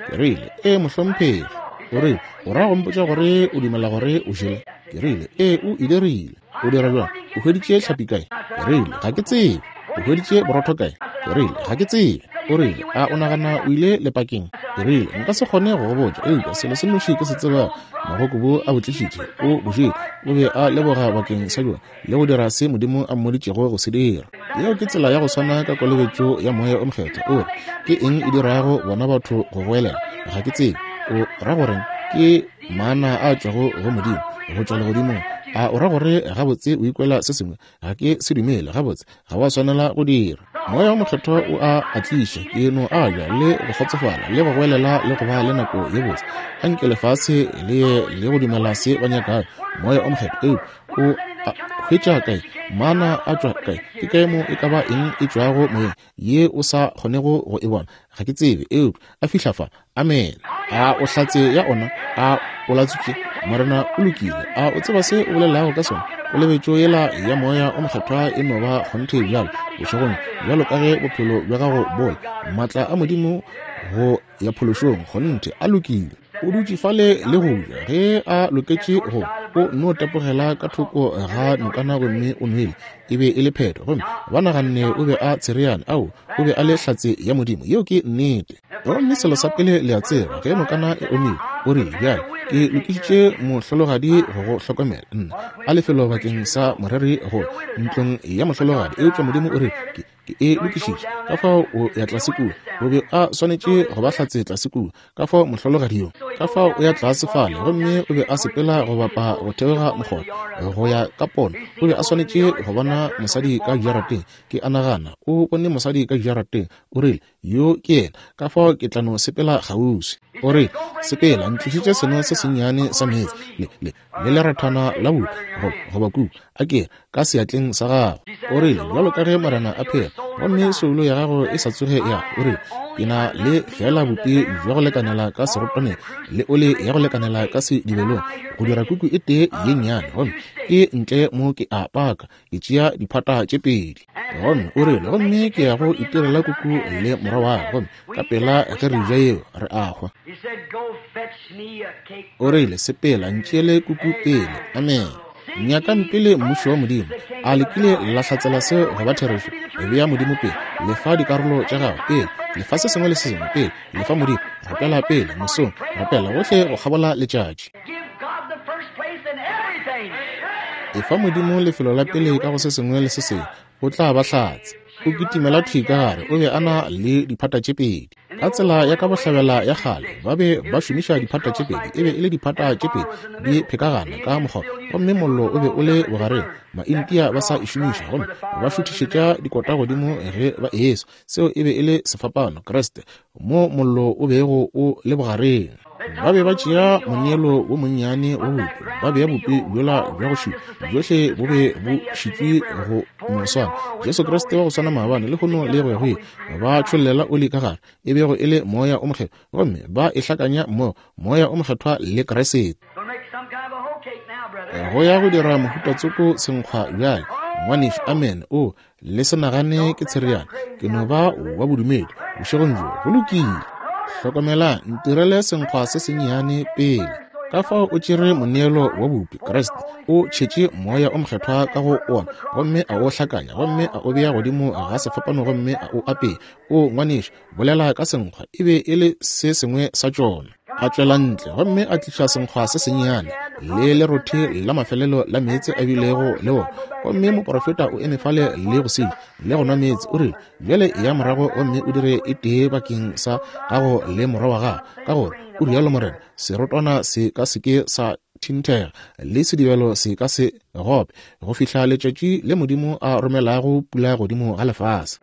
Ke rile, Ee, mohlomphegi. O rile, O ra go mpotša gore o dumela gore o jele? Ke rile, Ee, o e dirile. O dira bjang? O hweditše hlapi kae? Ke rile, Ga ke tsebe. O hweditše borotho kae? Ke rile, Ga ke tsebe. O rile, A o nagana o ile lepakeng? Ke rile, Nka se kgone go go botša, eupša selo se nnoši ke se tsebago, magokobu a bo tlišitše, o bo jele. O be a leboga bakeng sa bjona le go dira se Modimo a mmoditšego go se dira. Yeo ke tsela ya go swana ka kolobetšo ya Moya o Mokgethwa. O re, Ke eng e dirago bona batho go goelela? Ga ke tsebe. O ra goreng? Ke mana a tšwago go Modimo, go tšwa legodimong. A o ra gore gabotse o ikwela se sengwe? Ga ke se dumele. Gabotse, ga wa swanela go dira. Moya wo Mokgethwa o a a tliša. Ke no a ja le go kgotsofala le go goelela le go ba le nako ye botse. Anke lefase le ye le go dumela se ba nyakago. Moya o Mokgethwa, eupša o a hwetša kae? Mana a tšwa kae? Ke kae mo e ka ba eng e tšwago moyeng ye o sa kgonego go e bona? Ga ke tsebe, eupša a fihla fa. Amene. A o hlatse ya ona? A o latswitše? Morena o lokile. A o tseba se o bolelago ka sona? Kolobetšo yela ya Moya o Mokgethwa e no ba kgonthe bjalo bošegong bjalo ka ge bophelo bja gago bo le. Maatla a Modimo go ya phološong, kgonthe, a lokile. O dutše fale le go ja ge a loketše go o no tepogela ka thoko ga nokana gomme o nwele. E be e le phetho. Gomme ba naganne o be a tshereane. Ao, o be a le hlatse ya Modimo. Yeo ke nnete. Gomme selo sa pele le a tseba, ge nokana e omile, o rile, Bjale, ke lokišitše mohlologadi go go hlokomela. Nna, a lefelo bakeng sa moreri go ntlong ya mohlologadi. Eupša Modimo o rile, Ke, ke e lokišitše. Ka fao o ya tlase kua. O be a swanetše go ba hlatse tlase kua. Ka fao mohlologadi yo, ka fao o ya tlase fale, gomme o be a sepela go bapa go theoga mokgotha, go ya ka pono. O be a swanetše go bona mosadi ka jarateng. Ke a nagana o bone mosadi ka jarateng. O rile, Yo ke yena, ka fao ke tla no sepela kgauswi. O rile, Sepela, ntlišetše seno se sennyane sa meetse, le, le, le lerathana la bupi, goba, goba kuku, a ke re, ka seatleng sa gago. O rile, Bjalo ka ge Morena a phela, gomme soulo ya gago e sa tsoge ya, o rile, ke na le feela bupi bja go lekanela ka serotwaneng, le oli ya go lekanela ka sedibelong, go dira kuku e tee ye nnyane, gomme ke ntle mo ke a paka, ke tšea diphata tše pedi. Gomme o rile, Gomme ke ya go itirela kuku le morwa wa ka, gomme ka pela ge re ja yeo, re a hwa. O rile, Sepela, ntšeele kuku pele. Amene. Nyakang pele Mmušo wa Modimo. A le kile la hlatsela seo go ba therešo? Bea Modimo pele. Lefa dikarolo tša gago pele. Lefa se sengwe le se sengwe pele. Lefa Modimo. Rapela pele, mosong. Rapela gohle go kgabola letšatši. Efa Modimo lefelo la pele ka go se sengwe le se sengwe, o tla ba hlatse. O kitimela thwi ka gare, o be a na le diphata tše pedi. Ka tsela ya ka bohlabela ya kgale, ba be ba šomiša diphata tše pedi, e be e le diphata tše pedi di phekagana ka mokgwa, gomme mollo o be o le bogareng. Maintia ba sa e šomiša, gomme ba šuthišetša dikota godimo ge ba eswa. Seo e be e le sefapano, Kriste, mo mollo o bego o le bogareng. Ba be ba tšea moneelo wo monnyane wa bupi, ba bea bupi bjola bja go šitwa, bjohle bo be bo šitšwe go no swana. Jesu Kriste wa go swana maabane, lehono le go ya go ile. Ba tšhollela oli ka gare, e bego e le Moya o Mokgethwa, gomme ba e hlakanya mmogo, Moya o Mokgethwa le Kriste. Go ya go dira mohuta tsoko senkgwa bjale, ngwanešu. Amene. O, Le se nagane ke tshereana, ke no ba wa bodumedi bošegong bjo. Go lokile. Hlokomelang, ntirele senkgwa se sennyane pele. Ka fao o tšere moneelo wa bupi, Kriste, o tšhetše Moya o Mokgethwa ka go ona, gomme a o hlakanya, gomme a o bea godimo ga sefapano gomme a o apea. O, ngwanešu, bolela ka senkgwa, e be e le se sengwe sa tšona. A tšwela ntle gomme a tliša senkgwa se sennyane le lerothe la mafelelo la meetse a bilego le wona, gomme moprofeta o eme fale le go se le go nwa meetse. O rile, Bjale ya morago gomme o dire e tee bakeng sa gago le morwa wa gago, ka gore o rialo morena, serotwana se ka se ke sa thinthega le sedibelo se ka se gope go fihla letšatši le Modimo a romelago pula godimo ga lefase.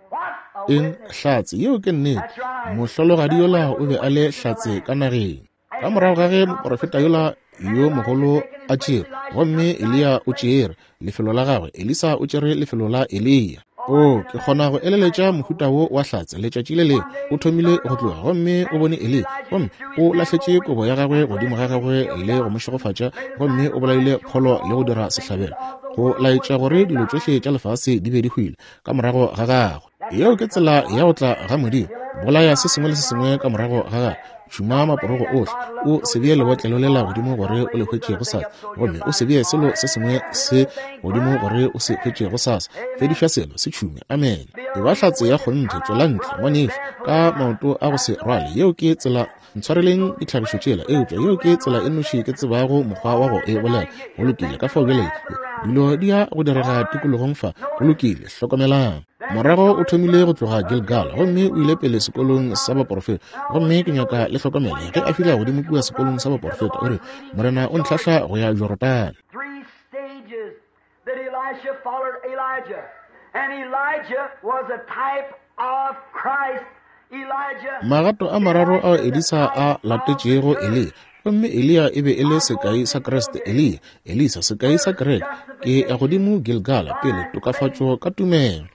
Eng? Hlatse. Yeo ke nnete. Mohlologadi yola o be a le hlatse ka nageng. Ka morago ga ge moprofeta yola yo mogolo a tšere, gomme Eliya o tšere lefelo la gagwe, Elisa o tšere lefelo la Eliya. O, ke kgona go eleletša mohuta wo wa hlatse. Letšatši le lengwe o thomile go tloga, gomme o bone Eliya, gomme o lahletše kobo ya gagwe godimo ga gagwe le go mo šegofatša, gomme o bolaile pholo le go dira sehlabelo, go laetša gore dilo tšohle tša lefase di be di hwile ka morago ga gagwe. Yeo ke tsela ya go tla ga Modimo. Bolaya se sengwe le se sengwe ka morago ga gagwe. Tšhuma maporogo ohle. O se bee lebotlelo lela godimo gore o le hwetše gosasa, gomme o se bee selo se sengwe se godimo gore o se hwetše gosasa. Fediša selo, se tšhume. Amene. E ba hlatse ya kgonthe. Tšwela ntle, ngwanešu, ka maoto a go se rwale. Yeo ke tsela. Ntshwareleng ditlhagišo tšela, eupša yeo ke tsela e nnoši ke tsebago mokgwa wa go e bolela. Go lokile, ka fao bjale dilo di ya go direga tikologong fa. Go lokile, hlokomelang. Morago o thomile go tloga Gilgal gomme o ile pele sekolong sa baporofeta. Gomme ke nyaka le hlokomele ge a fihla godimo kua sekolong sa baporofeta, o re, Morena o ntlhahla go ya Jorodane. That Elisha followed Elijah. And Elijah was a type of Christ. Elijah. Magato a mararo ao Elisa a latetšego Eliya. Gomme Eliya e be e le sekai sa Kriste. Eliya, Elisa, sekai sa kereke. Ke ya godimo Gilgala, pele, tokafatšo ka tumelo.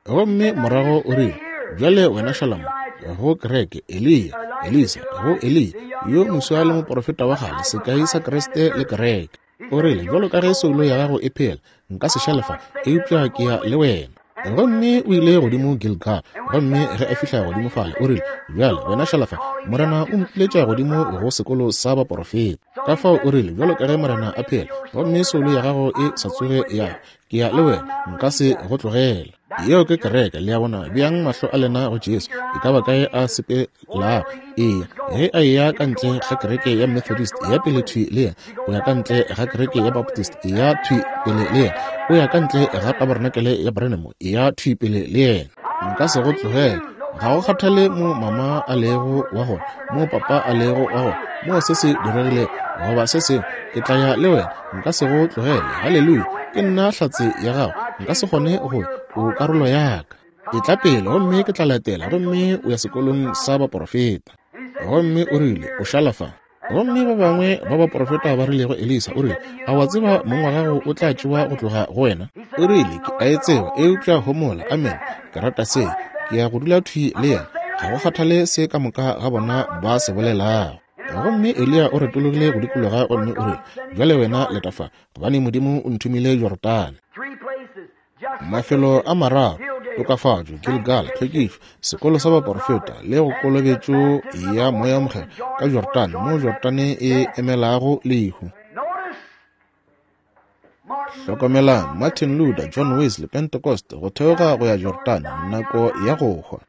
Gomme morago o rile, Bjale wena šala mo, go kereke, Eliya. Elisa, go Eliya, yo moswa le moprofeta wa kgale, sekai sa Kriste le kereke. O rile, Bjalo ka ge soulo ya gago e phela, nka se šale fa, eupša ke ya le wena. Gomme o ile godimo Gilgal, gomme ge a fihla godimo fale, o rile, Bjale, wena šala fa, Morena o mpiletša godimo go sekolo sa baporofeta. Ka fao o rile, Bjalo ka ge Morena a phela, gomme soulo ya gago e sa tsoge ya, ke ya le wena, nka se go tlogela. Yeo ke kereke, le a bona. Beang mahlo a lena go Jesu, e ka ba kae a sepelago. Eya, ge a eya ka ntle ga kereke ya Methodist, ya pele thwi le yena. O ya ka ntle ga kereke ya Baptist, ya thwi pele le yena. O ya ka ntle ga tabarenakele ya Branham, ya thwi pele le yena. Nka se go tlogele. Ga go kgathale mo mama a lego wa gona, mo papa a lego wa gona, mo se se diregile goba se sengwe, ke tla ya le wena. Nka se go tlogele. Haleluya! Ke nna hlatse ya gago. Nka se kgone go, o karolo ya ka. Etla pele gomme ke tla latela, gomme o ya sekolong sa baporofeta. Gomme o rile, O šala fa. Gomme ba bangwe ba baporofeta ba rile go Elisa, o rile, A wa tseba mong wa gago o tla tšewa go tloga go wena? O rile, Ke a e tseba, eupša homola. Amen. Ke rata se. Ke ya go dula thwi le yena, ga go kgathale se ka moka ga bona ba se bolelago. Gomme Eliya o retologile go dikologa gomme o rile, Bjale wena leta fa, gobane Modimo o nthomile Jorodane. Mafelo a mararo, tokafatšo, Gilgal, tlhwekišo, sekolo sa baporofeta, le go kolobetšo ya Moya wo Mokgethwa ka Jorodane, mo Jorodane e emelago lehu. Hlokomelang, Martin Luther, John Wesley, Pentecost, go theoga go ya Jorodane, nako ya go hwa.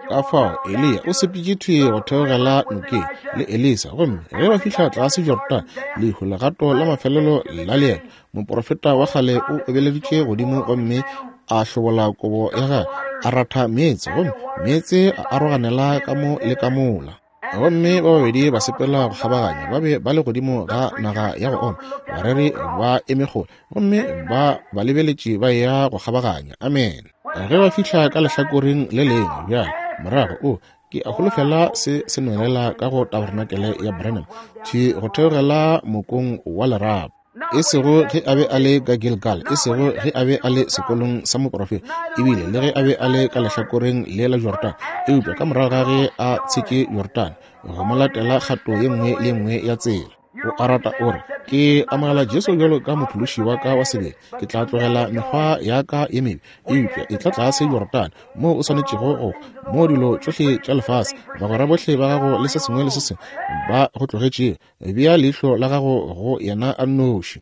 Ka fao Eliya o sepetše thwi go theogela nokeng le Elisa, gomme ge ba fihla tlase Jorodane, lehu legato la mafelelo la leeto, moprofeta wa kgale o obeleditše godimo gomme a hlobola kobo ya gagwe, a ratha meetse, gomme meetse a aroganela ka mo le ka mola. Gomme ba babedi ba sepela go kgabaganya, ba be ba le godimo ga naga ya go oma, bareri ba eme kgole, gomme ba ba lebeletše ba eya go kgabaganya. Amene. Ge ba fihla ka lehlakoreng le lengwe, bjale, morago, o, ke a holofela se se nwelela ka go tabarenakele ya Branham, thwi go theogela mokong wa lerapo. E sego ge a be a le ka Gilgal, e sego ge a be a le sekolong sa moprofeta, ebile le ge a be a le ka lehlakoreng le la Jordane, eupša ka morago ga ge a tshetše Jordane, go mo latela kgato ye nngwe le ye nngwe ya tsela. O a rata o re, Ke amogela Jesu bjalo ka mophološi wa ka wa sebele, ke tla tlogela mekgwa ya ka ye mebe, eupša e tla tlase Jordane, moo o swanetšego go, moo dilo tšohle tša lefase, bagwera bohle ba gago le se sengwe le se sengwe ba go tlogetšego, Bea leihlo la gago go yena a nnoši.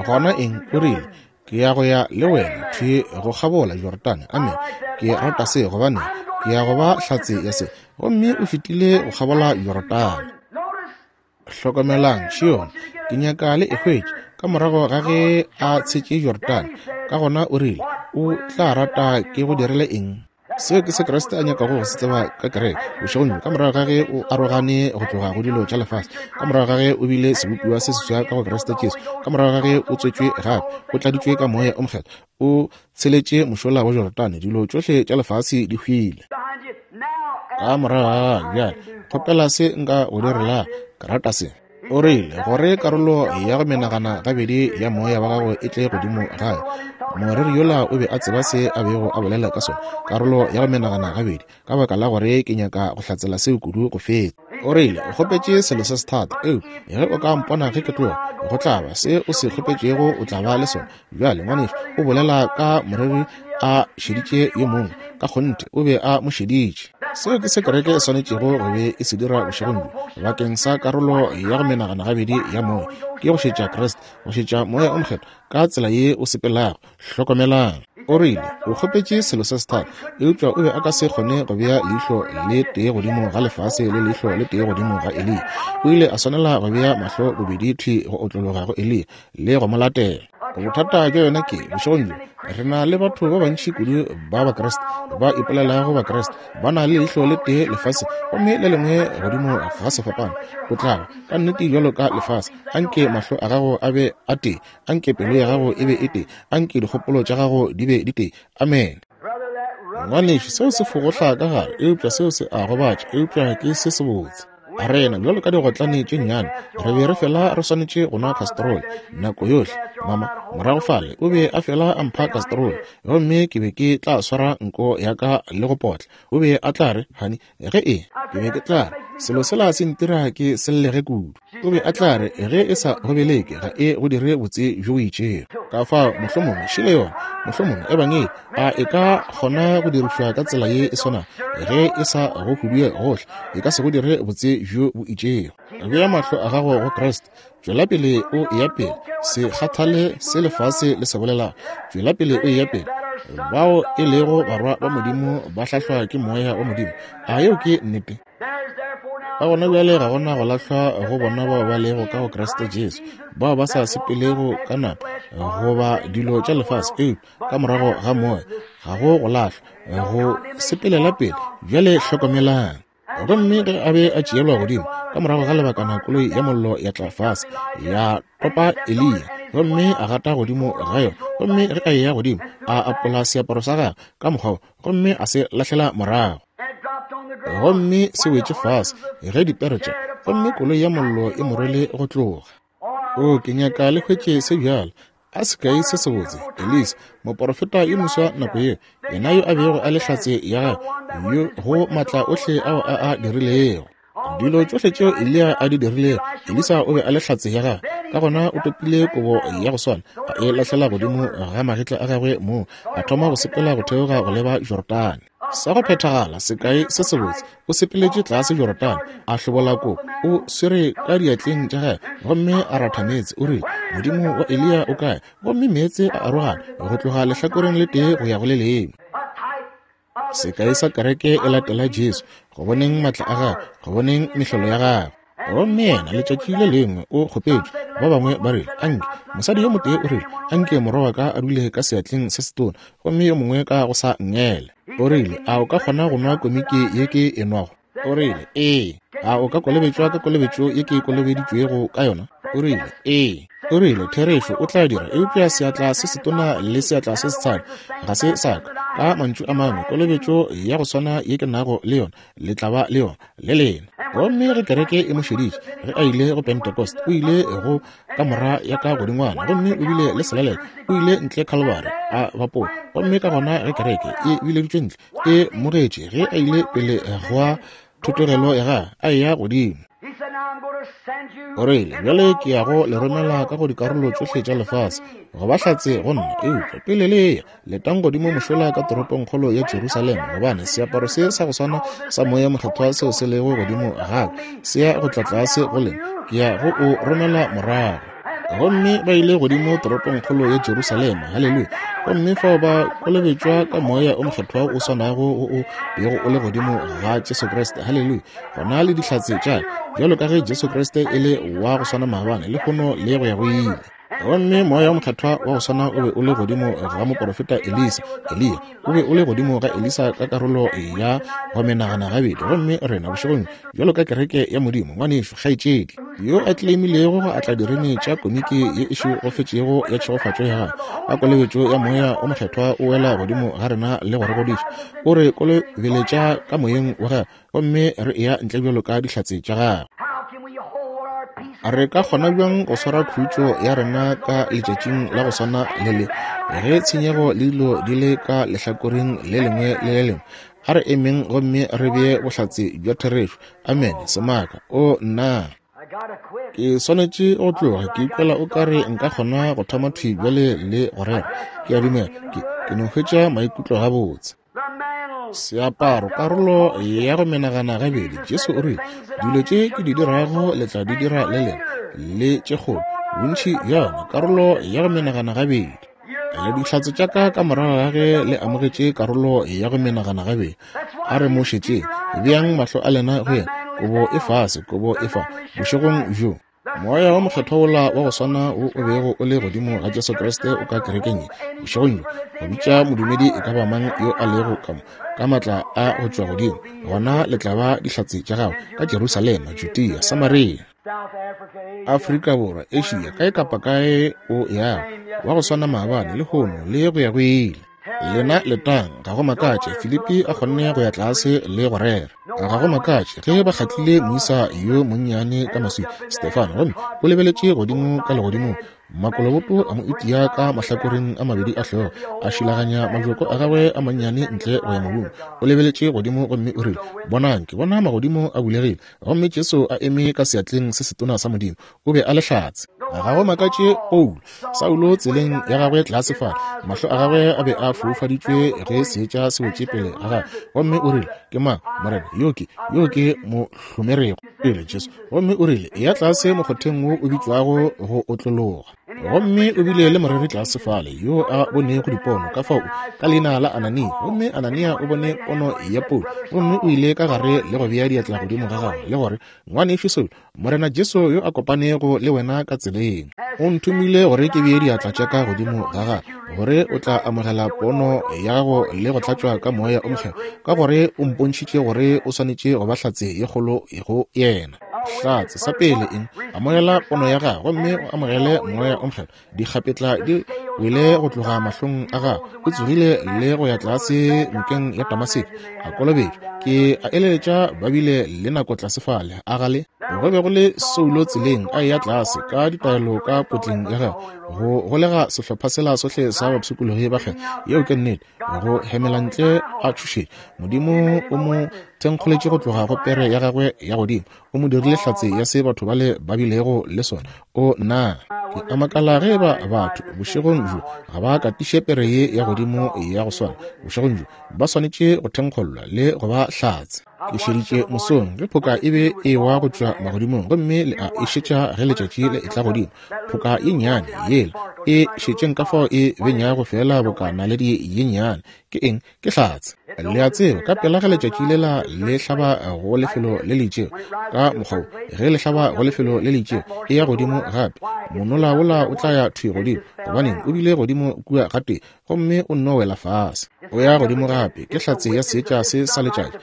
Gona eng? O rile, Ke ya go ya le wena thwi go kgabola Jorodane. Amen. Ke rata se, gobane ke ya go ba hlatse ya se. Gomme o fetile go kgabola Jorodane. Hlokomelang, Šione, ke nyaka le e hwetše. Ka morago ga ge a tshetše Jorodane, ka gona o rile, O tla rata ke go direle eng? Seo ke se Kriste a nyakago go se tseba ka kereke bošegong bjo, ka morago ga ge o arogane go tloga go dilo tša lefase, ka morago ga ge o bile sebopiwa se seswa ka go Kriste Jesu, ka morago ga ge o tswetšwe gape, o tladitšwe ka Moya o Mokgethwa, o tsheletše mošola wa Jorodane, dilo tšohle tša lefase di hwile ka morago ga gago. Bjale kgopela se nka go direla, ke rata se. O rile, gore karolo ya go menagana gabedi ya moya wa gago e tle godimo gae. Moreri yola o be a tseba se a bego a bolela ka sona, karolo ya go menagana gabedi, ka baka la gore ke nyaka go hlatsela seo kudu go feta. O rile, O kgopetše selo se sethata, eupša ge o ka mpona ge ke tloga, go tla ba se o se kgopetšego, o tla ba le sona. Bjale, ngwanešu, o bolela ka moreri a šeditše yo mongwe, ka kgonthe o be a mo šeditše. Seo ke se kereke e swanetšego go be e se dira bošegong bjo, bakeng sa karolo ya go menagana gabedi ya moya, ke go šetša Kriste, go šetša Moya o Mokgethwa ka tsela ye o sepelago. Hlokomelang. O rile, O kgopetše selo se sethata, eupša o be a ka se kgone go bea leihlo le tee godimo ga lefase le leihlo le tee godimo ga Eliya. O ile a swanela go bea mahlo bobedi thwi go otlologa go Eliya le go mo latela. Bothata bja yona ke, bošegong bjo, re na le batho ba bantši kudu ba Bakriste, ba ipolelago Bakriste, ba na le leihlo le tee lefase gomme le lengwe godimo ga sefapano. O tla ba ka nnete bjalo ka lefase. Anke mahlo a gago a be a tee, anke pelo ya gago e be e tee, anke dikgopolo tša gago di be di tee. Amene. Ngwanešu, seo se fogohla ka gare, eupša seo se a gobatša, eupša ke se sebotse. Rena bjalo ka digotlane tše nnyane re be re fela re swanetše go nwa kastroli nako yohle. Mama, morago fale, o be a fela a mpha kastroli, gomme ke be ke tla swara nko ya ka le go potla. O be a tla re, Honey, ge e, ke be ke tla re, selo sela se ntira ke sellege kudu. O be a tla re, ge e sa go beleke, ga e go dire botse bjo bo itšego. Ka fao, mohlomongwe, šele yona, mohlomongwe, Ebangedi, a e ka kgona go dirišwa ka tsela ye e swanago? Ge e sa go hudue gohle, e ka se go dire botse bjo bo itšego. Bea mahlo a gago go Kriste. Tšwela pele o eya pele. Se kgathale se lefase le se bolelago. Tšwela pele o eya pele. Bao e lego barwa ba Modimo ba hlahlwa ke Moya wa Modimo. A yeo ke nnete? Ka gona bjale ga gona go lahlwa go bona bao ba lego ka go Kriste Jesu, bao ba sa sepelego ka nama goba dilo tša lefase, eupša ka morago ga Moya ga go go lahlwa, go sepelela pele. Bjale hlokomelang. Gomme ge a be a tšeelwa godimo, ka morago ga lebakana koloi ya mollo ya tla fase, ya topa Eliya, gomme a gata godimo ga yona. Gomme ge a eya godimo, a apola seaparo sa gagwe ka mokgwa wo, gomme a se lahlela morago. Gomme se wetše fase ge dipere tša, gomme koloi ya mollo e mo rwele go tloga. O, ke nyaka le hwetše se bjalo. A sekai se sebotse, Elisa, moporofeta yo moswa nako yeo, yena yo a bego a le hlatse ya gagwe yo go matla ohle ao a a dirilego. Dilo tšohle tšeo Eliya a di dirilego, Elisa o be a le hlatse ya gagwe. Ka gona o topile kobo ya go swana, a e lahlela godimo ga magetla a gagwe moo, a thoma go sepela go theoga go leba Jorodane. Sa go phethagala, sekai se sebotse, o sepeletše tlase Jorodane, a hlobola kobo, o swere ka diatleng tša gagwe, gomme a ratha meetse, o rile, Modimo wa Eliya o kae? Gomme meetse a arogana go tloga lehlakoreng le tee go ya go le lengwe. Sekai sa kereke e latela Jesu, go boneng matla a gagwe, go boneng mehlolo ya gagwe. Gomme yena letšatši le lengwe o kgopetšwe, ba bangwe ba rile, Anke, mosadi yo motee o rile, anke morwa wa ka a dule ka seatleng se setona, gomme yo mongwe ka go sa nngele. O rile, A o ka kgona go nwa komiki ye ke e nwago? O rile, Ee. A o ka kolobetšwa ka kolobetšo ye ke kolobeditšwego ka yona? O rile, Ee. O rile, Therešo, o tla dira, eupša seatla se setona le seatla se setshadi ga se sa ka. Ka mantšu a mangwe, kolobetšo ya go swana ye ke nago le yona, le tla ba le yona le lena. Gomme ge kereke e mo šeditše, ge a ile go Pentecost, o ile go kamora ya ka godingwana, gomme o bile le selalelo, o ile ntle Calvary, a bapola. Gomme ka gona ge kereke e bileditšwe ntle, e mogetše ge a ile pele gwa thotogelo ya gagwe, a eya godimo. O rile, Bjale ke ya go le romela ka go dikarolo tšohle tša lefase, go ba hlatse go nna. Eupša pele le eya, letang godimo mošola ka toropongkgolo ya Jerusalema, gobane seaparo se sa go swana sa Moya Mokgethwa seo se lego godimo ga ka se ya go tla tlase go lena. Ke ya go o romela morago. Gomme ba ile godimo toropongkgolo ya Jerusalema, haleluya, gomme fao ba kolobetšwa ka Moya o Mokgethwa o swanago wo o bego o le godimo ga Jesu Kriste, haleluya, gona le dihlatse tša bjalo ka ge Jesu Kriste e le wa go swana maabane, lehono le go ya go ile. Gomme Moya wo Mokgethwa wa go swana o be o le godimo ga moporofeta Elisa, Eliya, o be o le godimo ga Elisa ka karolo ya go menagana gabedi. Gomme rena bošegong bjalo ka kereke ya Modimo, ngwanešu, kgaetšedi, yo a tleimilego go atla direne tša komiki ye e šegofetšego ya tšhegofatšo ya gagwe, ka kolobetšo ya Moya wo Mokgethwa o wela godimo ga rena le go re godiša, o re kolobeletša ka Moyeng wa gagwe, gomme re eya ntle bjalo ka dihlatse tša gagwe. Re ka kgona bjang go swara khutšo ya rena ka letšatšing la go swana le le, ge tshenyego le dilo di le ka lehlakoreng le lengwe le le lengwe? A re emeng gomme re bee bohlatse bja therešo. Amene. Semaka. O, nna! Ke swanetše go tloga. Ke ikwela o ka re nka kgona go thoma thwi bjale le go rera. Ke a dumela ke, ke no hwetša maikutlo gabotse. Seaparo, karolo ya go menagana gabedi. Jesu o rile, Dilo tše ke di dirago le tla di dira le lena, le tše kgolo, bontši bja yona, karolo ya go menagana gabedi. Le dihlatse tša ka ka morago ga ge le amogetše karolo ya go menagana gabedi. A re mo šetšeng, beang mahlo a lena go yena, kobo e fase, kobo e fa, bošegong bjo. Moya wo Mokgethwa wola wa go swana wo o bego o le godimo ga Jesu Kriste o ka kerekeng ye bošegong bjo, go bitša modumedi e ka ba mang yo a lego ka mo, ka maatla a go tšwa godimo, gona le tla ba dihlatse tša gagwe ka Jerusalema, Judea, Samaria, Afrika Borwa, Asia, kae kapa kae o yago, wa go swana maabane, lehono, le go ya go ile. Lena letang, ga go makatše Filipi a kgonne go ya tlase le go rera. Ga go makatše ge ba kgatlile moisa yo monnyane ka maswi, Stefano, gomme o lebeletše godimo ka legodimong. Makoloboto a mo itia ka mahlakoreng a mabedi a hlogo, a šilaganya majoko a gagwe a mannyane ntle go ya mobung. O lebeletše godimo gomme o rile, Bonang, ke bona magodimo a bulegile, gomme Jesu a eme ka seatleng se setona sa Modimo. O be a le hlatse. Ga go makatše Paulo, Saulo tseleng ya gagwe tlase fale, mahlo a gagwe a be a foufaditšwe ge seetša se wetše pele ga gagwe, gomme o rile, Ke mang, Morena? Yo ke, yo ke mo hlomerego pele, Jesu. Gomme o rile, Eya tlase mokgotheng wo o bitšwago go otlologa. Gomme o bile le moreri tlase fale yo a bonego dipono, ka fao ka leina la Anania. Gomme Anania o bone pono ya Paulo, gomme o ile ka gare le go bea diatla godimo ga gagwe, le gore, Ngwanešu Saulo, Morena Jesu yo a kopanego le wena ka tseleng, o nthomile gore ke bee diatla tša ka godimo ga gago, gore o tla amogela pono ya gago le go tlatšwa ka Moya o Mokgethwa, ka gore o mpontšhitše gore o swanetše go ba hlatse ye kgolo go yena. Hlatse, sa pele eng? Amogela pono ya gago gomme o amogele Moya o Mokgethwa. Dikgapetla di wele go tloga mahlong a gagwe. O tsogile le go ya tlase nokeng ya Damaseko, a kolobetšwa. Ke a eleletša ba bile le nako tlase fale, a ga le? Go be go le Saulo tseleng a eya tlase ka ditaelo ka potleng ya gagwe, go golega sehlopha sela sohle sa bapshikologi ba kgethwa. Yeo ke nnete. Go hemela ntle a tšhošetša. Modimo o mo thenkgoletše go tloga go pere ya gagwe ya godimo. O mo dirile hlatse ya se batho bale ba bilego le sona. O na ke a makala ge eba batho bošegong bjo ga ba katiše pere ye ya godimo ya go swana bošegong bjo. Ba swanetše go thenkgollwa le go ba hlatse. Ke šeditše mosong ge phoka e be e ewa go tšwa magodimong, gomme le a e šetša ge letšatši le etla godimo. Phoka ye nnyane yela e šetšeng ka fao e benyago feela boka naledi ye nnyane. Ke eng? Ke hlatse. Le a tseba, ka pela ge letšatši lela le hlaba go lefelo le le itšego, ka mokgwa wo, ge le hlaba go lefelo le le itšego, e ya godimo gape. Monola wola o tla ya thwi godimo. Gobaneng? O bile godimo kua gatee, gomme o nno wela fase. O ya godimo gape. Ke hlatse ya seetša se sa letšatši,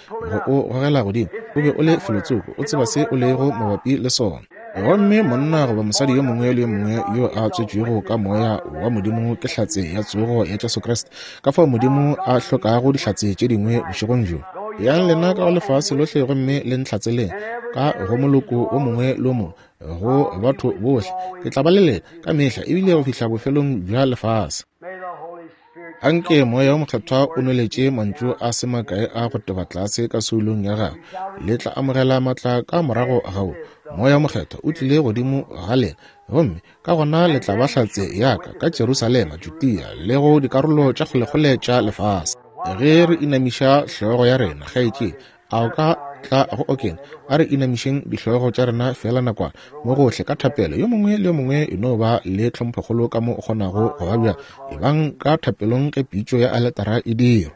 go o gogela godimo. O be o le felotsoko, o tseba se o lego mabapi le sona. Gomme monna goba mosadi yo mongwe le yo mongwe yo a tswetšwego ka Moya wa Modimo ke hlatse ya tsogo ya Jesu Kriste. Ka fao Modimo a hlokago dihlatse tše dingwe bošegong bjo. Yang lena ka go lefase lohle gomme le ntlhatseleng ka go moloko o mongwe le o mongwe, go batho bohle. Ke tla ba le lena ka mehla, ebile go fihla bofelong bja lefase. Anke Moya wo Mokgethwa o nweletše mantšu a se makae a go teba tlase ka soulong ya gago. Le tla amogela matla ka morago ga wo. Moya wo Mokgethwa o tlile godimo ga lena, gomme ka gona le tla ba hlatse ya ka ka Jerusalema, Judea le go dikarolo tša kgolekgole tša lefase. Ge re inamiša hlogo ya rena, kgaetšedi, A o ka tla go okeng? A re inamišeng dihlogo tša rena feela nakwana, mo gohle, ka thapelo. Yo mongwe le yo mongwe e no ba le tlhomphokgolo ka mo o kgonago go ba bjang. Ebang ka thapelong ge pitšo ya aletara e dirwa.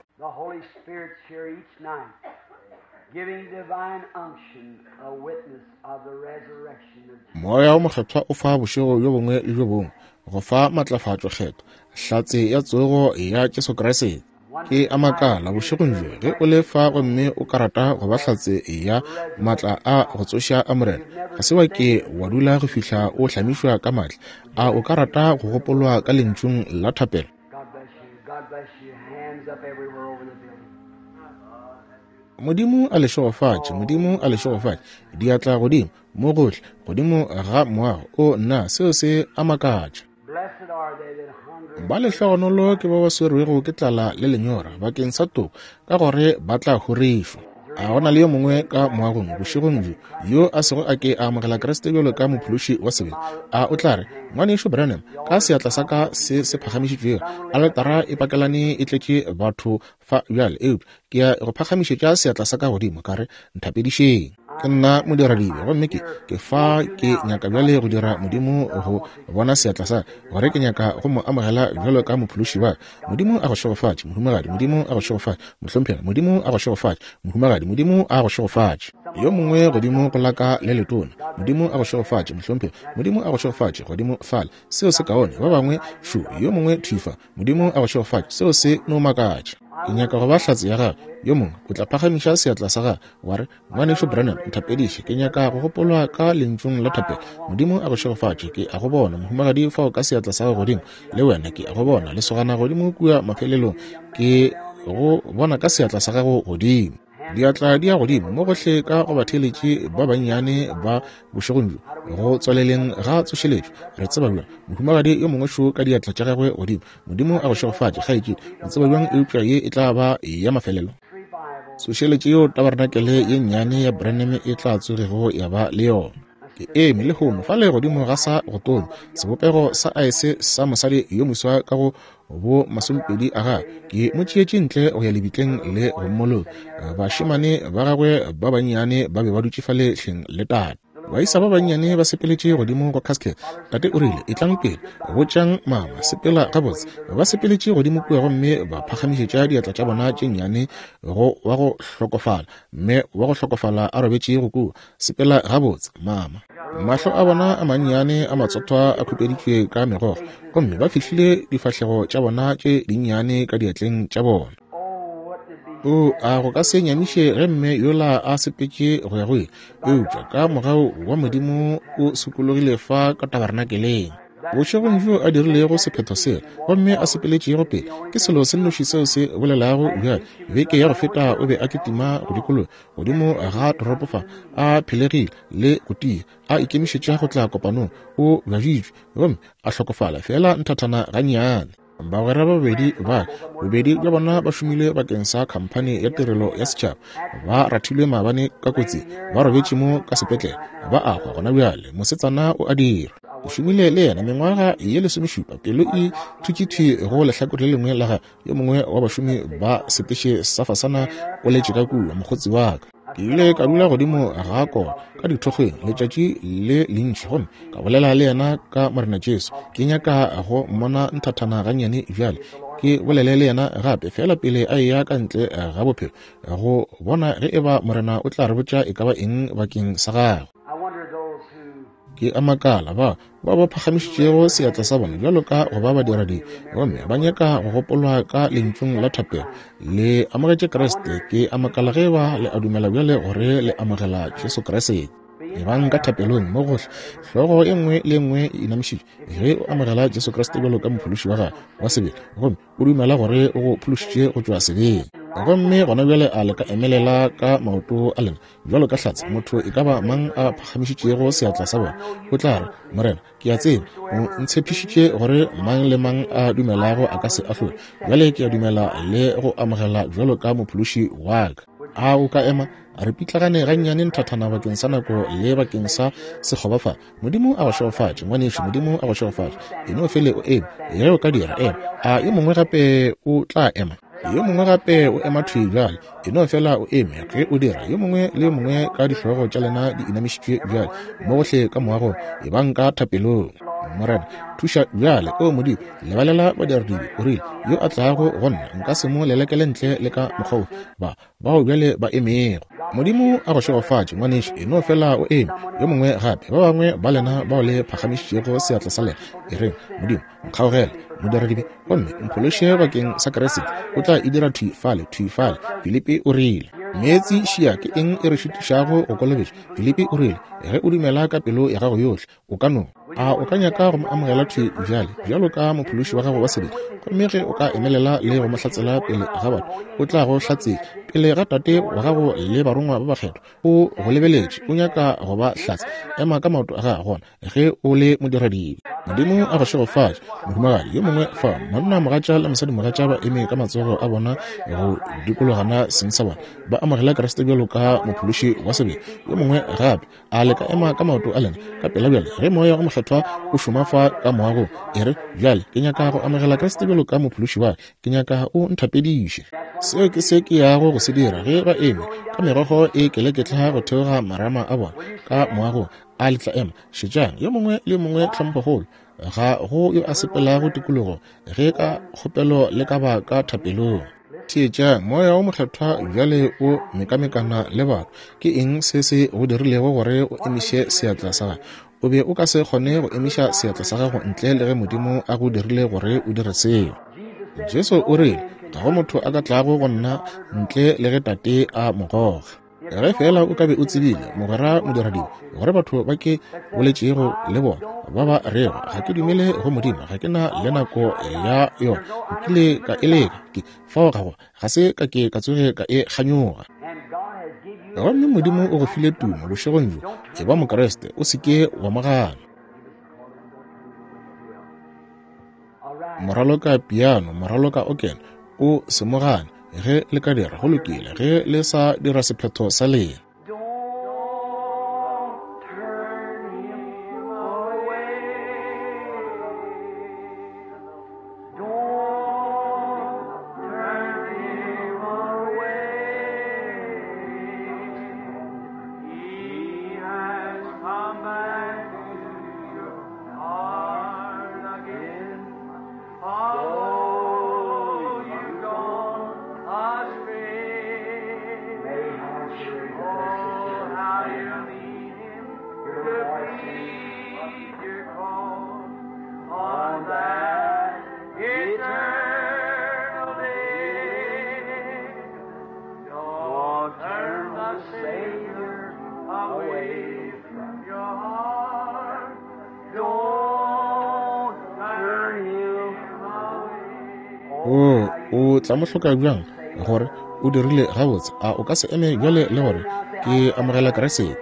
Moya wo Mokgethwa o fa bošego bjo bongwe le bjo bongwe, go fa matlafatšo kgethwa, hlatse ya tsogo ya Jesu Kriste. Ke a makala bošegong bjo ge o le fa gomme o ka rata go ba hlatse ya maatla a go tsoša a Morena. Ga se wa ke wa dula go fihla o hlamišwa ka maatla. A o ka rata go gopolwa ka lentšung la thapelo? Modimo a le šegofatše, Modimo a le šegofatše. Diatla godimo, mo gohle, godimo ga moago. O nna, seo se a makatša. Ba lehlogonolo ke ba ba swerwego ke tlala le lenyora bakeng sa toko, ka gore ba tla horišwa. A go na le yo mongwe ka moagong bošegong bjo yo a sego a ke a amogela Kriste bjalo ka mophološi wa sebele? A o tla re, Ngwanešu Branham, ka seatla sa ka se se phagamišitšwego, aletara e pakelane e tletše batho fa bjale, eupša ke ya go phagamišetša seatla sa ka godimo, ka re, Nthapedišeng. Ke nna modiradibe, gomme ke, ke fa ke nyaka bjale go dira Modimo go bona seatla sa gore ke nyaka go mo amogela bjalo ka mophološi wa ka. Modimo a go šegofatše, mohumagadi. Modimo a go šegofatše, mohlomphegi. Modimo a go šegofatše, mohumagadi. Modimo a go šegofatše. Yo mongwe godimo go la ka le letona. Modimo a go šegofatše, mohlomphegi. Modimo a go šegofatše, godimo fale. Seo se kaone. Ba bangwe šo, yo mongwe thwi fa. Modimo a go šegofatše. Seo se no makatša. Ke nyaka go ba hlatse ya gago. Yo mongwe o tla phagamiša seatla sa gagwe, wa re, Ngwanešu Branham, nthapediše. Ke nyaka go gopolwa ka lentšung la thapelo. Modimo a go šegofatše. Ke a go bona, mohumagadi, fao ka seatla sa gago godimo. Le wena, ke a go bona, lesogana godimo kua mafelelong. Ke go bona ka seatla sa gago godimo. Diatla di ya godimo mo gohle ka go batheeletši ba bannyane ba bošegong bjo, go tswaleleng ga tsošeletšo. Re tseba bjang? Mohumagadi yo mongwe šo ka diatla tša gagwe godimo. Modimo a go šegofatše, kgaetšedi. O tseba bjang eupša ye e tla ba ya mafelelo? Tsošeletšo yeo tabarenakele ye nnyane ya Branham e tla tsogego ya ba le yona. Ke eme lehono fale godimo ga sa go tonya, sebopego sa aese sa mosadi yo moswa ka go bo masomepedi a gagwe. Ke mo tšeetše ntle go ya lebitleng le go mmoloka. Bašemane ba gagwe ba bannyane ba be ba dutše fale hleng le tate. Baisa ba bannyane ba sepeletše godimo go casket. Tate o rile, Etlang pele, botšang mama, sepela gabotse. Ba sepeletše godimo kua gomme ba phagamišetša diatla tša bona tše nnyane go wa go hlokofala, mme wa go hlokofala a robetšego kua. Sepela gabotse, mama. Mahlo a bona a mannyane a matsothwa a khupeditšwe ka megokgo, gomme ba fihlile difahlego tša bona tše dinnyane ka diatleng tša bona. O, a go ka se nyamiše ge mme yola a sepetše go ya go ile, eupša ka mogau wa Modimo o sokologile fa ka tabernakeleng. Bošegong bjo a dirilego sephetho sela gomme a sepeletšego pele, ke selo se nnoši seo se bolelago bjale. Beke ya go feta o be a kitima go dikologa godimo ga toropo fa, a phelegile le go tia, a ikemišetša go tla kopanong. O bjaditšwe gomme a hlokofala feela nthathana gannyane. Bagwera ba babedi ba, bobedi bja bona ba šomile bakeng sa khamphani ya tirelo ya setšhaba, ba rathilwe maabane ka kotsi, ba robetše mo ka sepetlele, ba a hwa gona bjale. Mosetsana o a dira. Ke šomile le yena mengwaga ye lesomešupa, pelo e thutše thwi go lehlakore le lengwe la gagwe. Yo mongwe wa bašomi ba seteše sa fasana o letše ka kua, mokgotsi wa ka. Ke ile ka dula godimo ga kona ka dithokgweng letšatši le lentši gomme ka bolela le yena ka Morena Jesu. Ke nyaka go mmona nthathana gannyane bjale, ke bolele le yena gape feela pele a eya ka ntle ga bophelo, go bona ge eba Morena o tla re botša e ka ba eng bakeng sa gagwe. Ke a makala ba bao ba phagamišitšego seatla sa bona bjalo ka go ba badiradibe gomme ba nyaka go gopolwa ka lentšung la thapelo, le amogetše Kriste. Ke a makala ge ba le a dumela bjale gore le amogela Jesu Kriste. Ebang ka thapelong mo gohle, hlogo e nngwe le e nngwe e inamišitšwe, ge o amogela Jesu Kriste bjalo ka Mophološi wa gago wa sebele gomme o dumela gore o go phološitše go tšwa sebeng. Gomme gona bjale a le ka emelela ka maoto a lena bjalo ka hlatse, motho e ka ba mang a phagamišitšego seatla sa bona, o tla re, Morena, ke a tseba o ntshepišitše gore mang le mang a dumelago a ka se ahlolwe. Bjale ke a dumela le go amogela bjalo ka Mophološi wa ka. A o ka ema? Re pitlagane gannyane nthathana bakeng sa nako le bakeng sa sekgoba fa. Modimo a go šegofatše, ngwanešu. Modimo a go šegofatše. E no fele o eme. Ge o ka dira, ema. A yo mongwe gape o tla ema? Yo mongwe gape o ema thwi bjale. E no fela o eme ge o dira. Yo mongwe le yo mongwe ka dihlogo tša lena di inamišitšwe bjale, mo gohle ka moagong, ebang ka thapelong. Morena, thuša bjale. O Modimo, lebalela badiradibe. O rile, Yo a tlago go nna, nka se mo lelekele ntle le ka mokgwa wo. Ba bao bjale ba emego. Modimo a go šegofatše, ngwanešu. E no fela o eme. Yo mongwe gape, ba bangwe ba lena bao le phagamišitšego seatla sa lena, e reng, Modimo, nkgaogele, modiradibe, gomme mphološe bakeng sa Kriste. O tla e dira thwi fale, thwi fale. Filipi o rile, Meetse šia, ke eng e re šitišago go kolobetšwa? Filipi o rile, Ge o dumela ka pelo ya gago yohle, o ka no. A o ka nyaka go mo amogela thwi bjale bjalo ka mophološi wa gago wa sebele? Gomme ge o ka emelela le go mo hlatsela pele ga batho, o tla go hlatsela pele ga Tate wa gago le barongwa ba bakgethwa. O go lebeletše, o nyaka go ba hlatse. Ema ka maoto a gago gona ge o le modiradibe. Modimo a go šegofatše, mohumagadi. Yo mongwe fa, monna mogatša le mosadi mogatša ba eme ka matsogo a bona go dikologana seng sa bona, ba amogela Kriste bjalo ka mophološi wa sebele. Yo mongwe gape, A le ka ema ka maoto a lena ka pela bjale ge Moya o Mokgethwa o šoma fa ka moagong? E re, Bjale ke nyaka go amogela Kriste bjalo ka Mophološi wa ka. Ke nyaka O nthapediše. Seo ke se ke yago go se dira. Ge ba eme ka megogo e keleketla go theoga marama a bona ka moagong, a le tla ema? Šetšang, yo mongwe le yo mongwe tlhomphokgolo. Ga go yo a sepelago tikologo ge ka kgopelo le ka ba ka thapelong. Theetšang, Moya wo Mokgethwa bjale o mekamekana le batho. Ke eng se se go dirilego gore o emiše seatla sa gago? O be o ka se kgone go emiša seatla sa gago ntle le ge Modimo a go dirile gore o dire seo. Jesu o rile, Ga go motho a ka tlago go nna ntle le ge Tate a mo goga. Ge feela o ka be o tsebile, mogwera modiradibe, gore batho ba ke boletšego le bona ba ba rego, ga ke dumele go Modimo, ga ke na le nako ya yona, nkile ka e leka, ke fao ga go, ga se ka ke ka tsoge ka e kganyoga. Gomme Modimo o go file tumo bošegong bjo. Eba Mokriste, o se ke wa mo gana. Moraloka piano, moraloka okene, o se mo gane. Ge le ka dira, go lokile. Ge le sa dira sephetho sa lena. O, o tla mo hloka bjang gore o dirile gabotse? A o ka se eme bjale le gore ke amogela Kriste?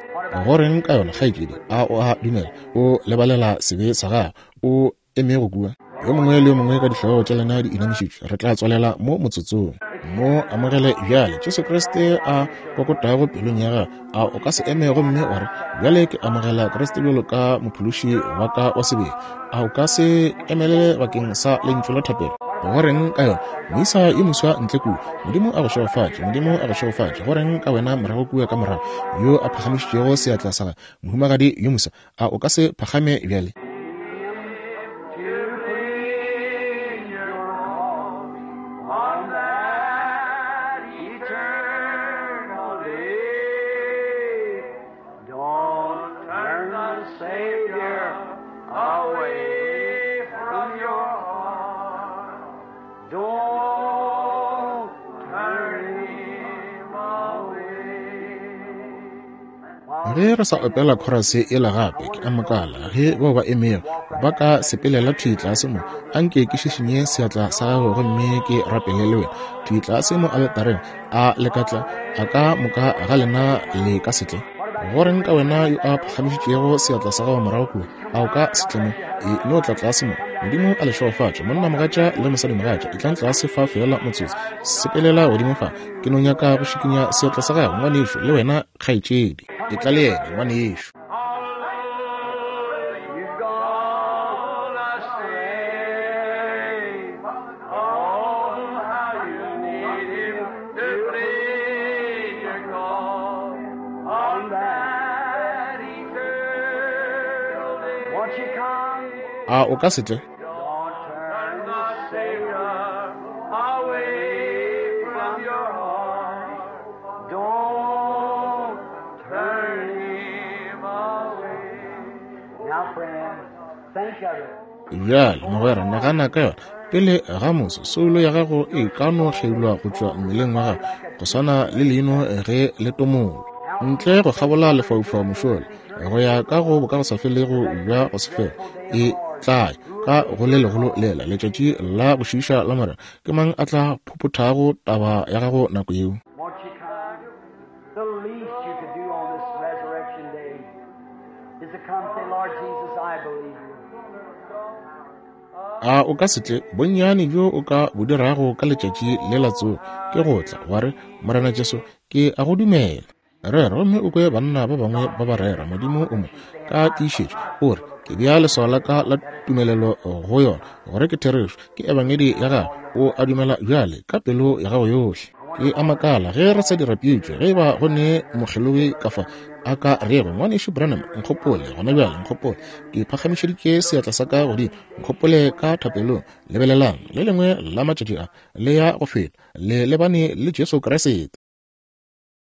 Go reng ka yona, kgaetšedi? A o a dumela? O lebalela sebe sa gago. O emego kua. Yo mongwe le yo mongwe ka dihlogo tša lena di inamišitšwe, re tla tswalela mo motsotsong. Mo amogele bjale, Jesu Kriste a kokotago pelong ya gago. A o ka se eme gomme wa re, Bjale ke amogela Kriste bjalo ka Mophološi wa ka wa sebele? A o ka se emelele bakeng sa lentšu la thapelo? Go reng ka yona, moisa yo moswa ntle kua? Modimo a go šegofatše. Modimo a go šegofatše. Go reng ka wena morago kua ka morago, yo a phagamišitšego seatla sa gagwe, mohumagadi yo moswa? A o ka se phagame bjale? Ge re sa opela khorase yela gape, ke a makala ge bao ba emego ba ka sepelela thwi tlase mo. Anke ke šišinye seatla sa gago gomme ke rapele le wena thwi tlase mo aletareng. A le ka tla? A ka moka ga lena le ka se tle? Go reng ka wena yo a phagamišitšego seatla sa gago morago kua? A o ka se tle mo? E no tla tlase mo. Modimo a le šegofatše, monnamogatša le mosadimogatša. Etlang tlase fa feela motsotso. Sepelela godimo fa. Ke no nyaka go šikinya seatla sa gago, ngwanešu, le wena, kgaetšedi. Etla le yena, ngwanešu. A o ka se tle? Bjale, mogwera, nagana ka yona. Pele ga moso, soulo ya gago e ka no kgeulwa go tšwa mmeleng wa gago, go swana le leino ge le tomolwa. Ntle go kgabola lefaufau mošola, go ya ka go bokagosafelego bja go se fele, e tla ya ka go le legolo lela, letšatši la go šiiša la Morena. Ke mang a tla phophothago taba ya gago nako yeo? A o ka se tle? Bonnyane bjo o ka bo dirago ka letšatši le la tsogo ke go tla, wa re, Morena Jesu, ke a go dumela. Rera gomme o kwe banna ba bangwe ba ba rera. Modimo o mo ka tiišetšo o re, Ke bea leswao la ka la tumelelo go yona, gore ke therešo, ke ebangedi ya gago. O a dumela bjale ka pelo ya gago yohle. Ke a makala ge re sa dira pitšo, ge e ba go ne mokgelogi ka fa a ka rego, Ngwanešu Branham, nkgopole gona bjale, nkgopole. Ke phagamišeditše seatla sa ka godimo, nkgopole ka thapelong. Lebelelang, le lengwe la matšatši a le ya go feta, le lebane le Jesu Kriste.